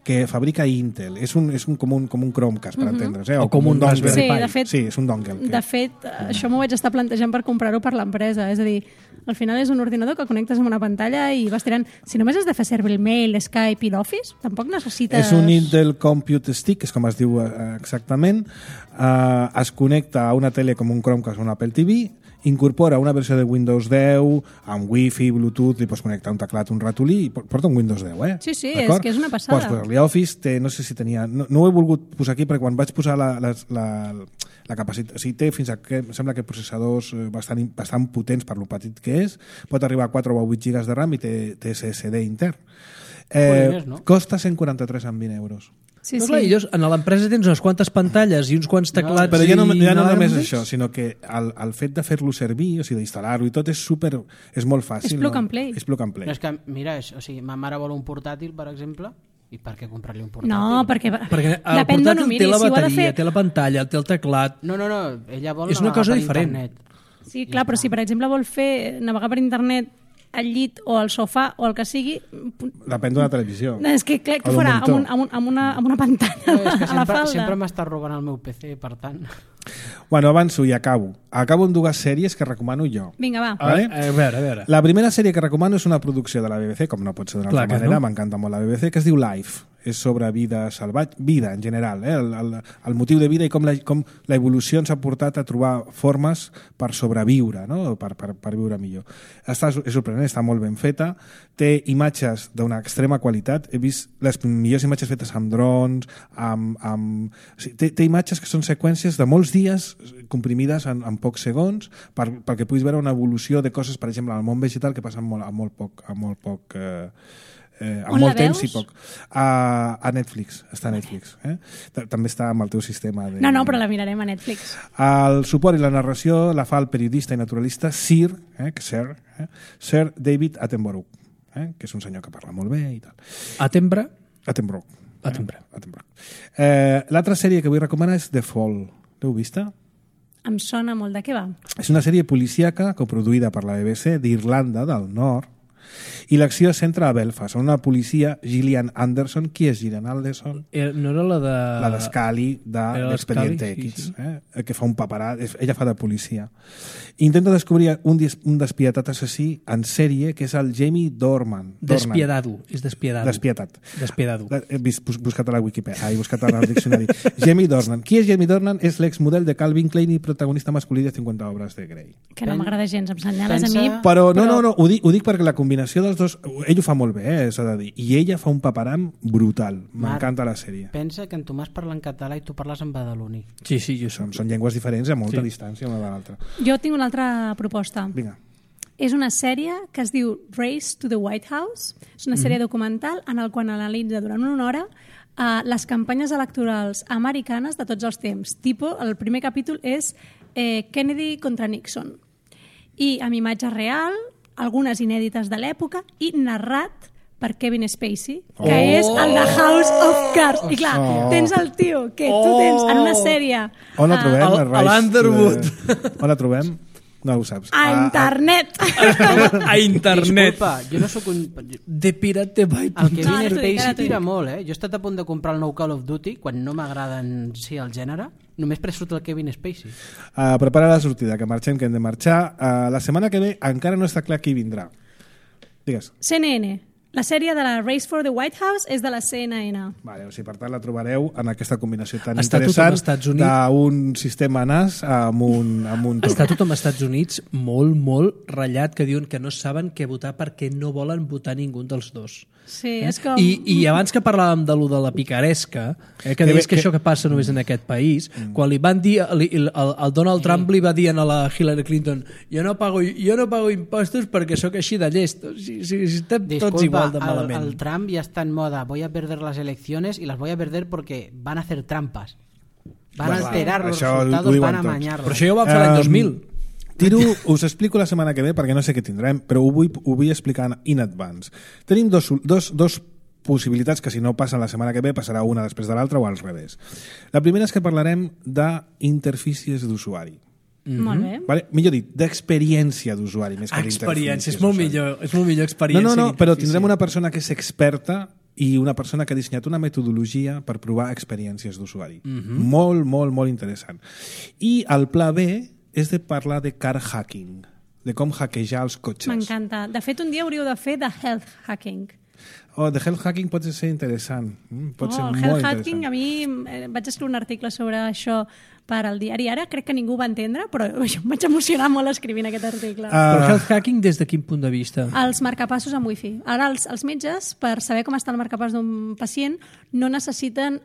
que fabrica Intel. És com un Chromecast, per entendre's. O com un dongle. Raspberry Sí, de fet- Sí, és un dongle. De fet, això m'ho vaig estar plantejant per comprar-ho per l'empresa. És a dir, al final és un ordinador que connectes amb una pantalla i vas tirant... Si només has de fer servir el mail, Skype i l'Office, tampoc necessites... És un Intel Compute Stick, és com es diu exactament. Es connecta a una tele com un Chromecast o un Apple TV, incorpora una versió de Windows 10 amb Wi-Fi, Bluetooth, li pots connectar un teclat, un ratolí, i porta un Windows 10, Sí, sí, D'acord? és que és una passada. Pots posar-li Office, no sé si tenia... No ho he volgut posar aquí perquè quan vaig posar la capacitat... O sigui, té fins a que em sembla que processadors bastant potents per lo petit que és, pot arribar a 4 o 8 gigas de RAM i té SSD intern. Més, no? Costa 143,20 euros. Sí, Doncs clar, sí. a l'empresa tens unes quantes pantalles i uns quants teclats. Però ja no només inalàmbrics. això, sinó que el fet de fer-lo servir, o sigui, d'instal·lar-lo i tot, és molt fàcil. És plug and play. És plug and play. No, és que, mira, o sigui, ma mare vol un portàtil, per exemple, i per què comprar-li un portàtil? No, perquè Perquè el depèn d'on ho portàtil miris. té la Si ho ha de bateria, fer... té la pantalla, té el teclat. No, ella vol És una navegar cosa per diferent. internet. Sí, clar, però si per exemple vol fer navegar per internet al llit o al sofà o el que sigui, Depèn d'una televisió. és que què O d'un farà? monitor. Amb una pantalla No, és que a la falda? sempre m'està robant el meu PC, per tant... Bueno, avanço i acabo. Acabo amb dues sèries que recomano jo. Vinga, va. Vale? A veure. La primera sèrie que recomano és una producció de la BBC, com no pot ser d'una Clar altra que manera, no. m'encanta molt la BBC, que es diu Life. És sobre vida salvatge, vida en general, el motiu de vida i com l'evolució ens ha portat a trobar formes per sobreviure, no? per viure millor. És sorprenent, està molt ben feta, té imatges d'una extrema qualitat, he vist les millors imatges fetes amb drons, o sigui, té imatges que són seqüències de molts dels dies comprimides en pocs segons perquè puguis veure una evolució de coses, per exemple, al món vegetal que passen amb molt poc amb molt temps i poc. A Netflix, està a Netflix. També està amb el teu sistema de... No, però la mirarem a Netflix. El suport i la narració la fa el periodista i naturalista Sir David Attenborough, que és un senyor que parla molt bé i tal. Attenborough. L'altra sèrie que vull recomanar és The Fall. L'heu vista? Em sona molt. De què va? És una sèrie policíaca coproduïda per la BBC d'Irlanda del Nord i l'acció es centra a Belfast, on una policia, Gillian Anderson. Qui és Gillian Anderson? No era la de... La d'Scully d'Expediente Scully, X, que fa un paparat, ella fa de policia. Intenta descobrir un despietat assassí en sèrie, que és el Jamie Dornan. Despiadado, és despiadado. Despiadado. He buscat a la Wikipedia, he buscat al diccionari. Jamie Dornan. Qui és Jamie Dornan? És l'exmodel de Calvin Klein i protagonista masculí de 50 obres de Grey. Que no m'agrada gens, em senyales a mi. Però no, ho dic perquè la combinació dels dos, ell ho fa molt bé, s'ha de dir, i ella fa un paparam brutal. M'encanta la sèrie. Pensa que en Tomàs parla en català i tu parles en badaloní. Sí, jo són llengües diferents a molta distància una de l'altra. Jo tinc una altra proposta. Vinga. És una sèrie que es diu Race to the White House. És una sèrie documental en el qual analitza durant una hora les campanyes electorals americanes de tots els temps. El primer capítol és Kennedy contra Nixon. I amb imatge real, algunes inèdites de l'època i narrat per Kevin Spacey, que és el de House of Cards. I clar, tens el tio que tu tens en una sèrie... On la trobem? A l'Underwood. On la trobem? No ho saps. A internet. A internet. Disculpa, jo no sóc un... De pirate by... El Kevin Spacey tira molt, Jo he estat a punt de comprar el nou Call of Duty, quan no m'agraden el gènere, només per surt el Kevin Spacey. Prepara la sortida, que marxem, que hem de marxar. La setmana que ve encara no està clar qui vindrà. Digues. CNN. La sèrie de la Race for the White House és de la CNN. Vale, o sigui, per tant, la trobareu en aquesta combinació tan Està interessant d'un sistema NAS amb un Està tothom als Estats Units molt ratllat, que diuen que no saben què votar perquè no volen votar ningú dels dos. Sí, és com... I abans que parlàvem de lo de la picaresca, que deies que això que passa només en aquest país, quan li van dir, el Donald Trump li va dir a la Hillary Clinton jo no pago impostos perquè sóc així de llest. Estem tots igual de malament. El Trump ja està en moda, voy a perder las elecciones y las voy a perder porque van a hacer trampas. Van a alterar los resultados, van a amañarlos. Però això ja ho van fer l'any 2000. Us explico la setmana que ve perquè no sé què tindrem, però ho vull explicar in advance. Tenim dos possibilitats que si no passen la setmana que ve passarà una després de l'altra o al revés. La primera és que parlarem d'interfícies d'usuari. Molt bé. Vale? Millor dit, d'experiència d'usuari més que experiència, és molt millor experiència. No, però tindrem una persona que és experta i una persona que ha dissenyat una metodologia per provar experiències d'usuari. Molt interessant. I el pla B és de parlar de car hacking, de com hackejar els cotxes. M'encanta. De fet, un dia hauríeu de fer de health hacking. De health hacking pot ser interessant. Pot ser molt health interessant. hacking, a mi vaig escriure un article sobre això per al diari Ara, crec que ningú va entendre, però em vaig emocionar molt escrivint aquest article. Però health hacking des de quin punt de vista? Els marcapassos amb wifi. Ara els metges, per saber com està el marcapàs d'un pacient, no necessiten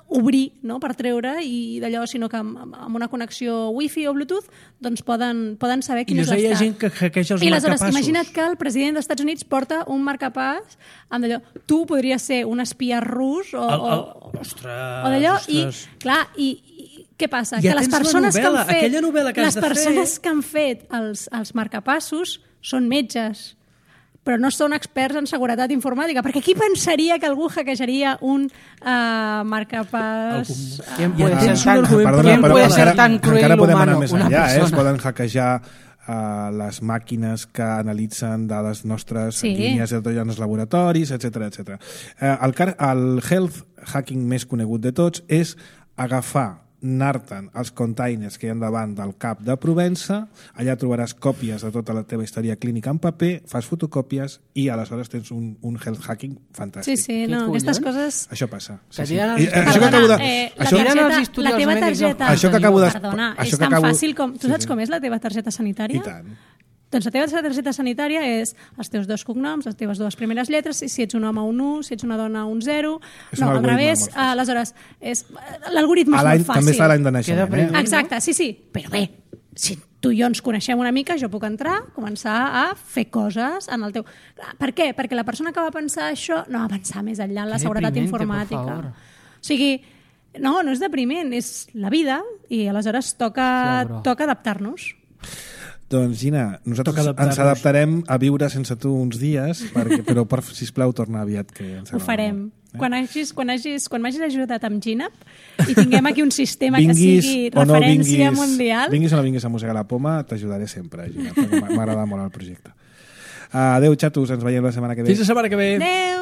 obrir, no?, per treure i d'allò, sinó que amb una connexió wifi o bluetooth doncs poden saber quin és l'estat. I hi ha gent que hackeja els marcapassos. Imagina't que el president dels Estats Units porta un marcapàs amb d'allò. Tu podries ser un espia rus o d'allò. I, clar, i què passa? Ja que les persones que han fet els marcapassos són metges, però no són experts en seguretat informàtica, perquè qui pensaria que algú hackejaria un marcapàs? ¿Quién puede ser tan cruel encara podem anar humano? més enllà, es poden hackejar les màquines que analitzen dades nostres línies en els laboratoris, etc. El health hacking més conegut de tots és agafar, anar-te'n als containers que hi ha davant del CAP de Provença, allà trobaràs còpies de tota la teva història clínica en paper, fas fotocòpies i aleshores tens un health hacking fantàstic. Sí, no, aquestes coses... Això passa. La teva targeta... Això que acabo de... Perdona, és tan fàcil com... Tu saps com és la teva targeta sanitària? I tant. Doncs la teva targeta sanitària és els teus 2 cognoms, les teves 2 primeres lletres, i si ets un home un 1, si ets una dona un 0... És No, un al algoritme revés, molt fàcil. aleshores, l'algoritme és molt fàcil. També està l'any de naixement, Queda Exacte, sí, però bé, si tu i jo ens coneixem una mica, jo puc entrar, començar a fer coses en el teu... Per què? Perquè la persona que va pensar això no va pensar més enllà en la Que seguretat deprimente, informàtica. por favor. O sigui, no és depriment, és la vida i aleshores toca adaptar-nos. Doncs Gina, nosaltres Toca adaptar-nos. ens adaptarem a viure sense tu uns dies, però sisplau torna aviat. Que ens Ho agrada farem. molt. Quan m'hagis ajudat amb Ginap i tinguem aquí un sistema que sigui o no referència mundial... Vinguis o no vinguis a Mossegar la Poma, t'ajudaré sempre, Gina, perquè m'agrada molt el projecte. Adéu, xatos, ens veiem la setmana que ve. Fins la setmana que ve. Adéu!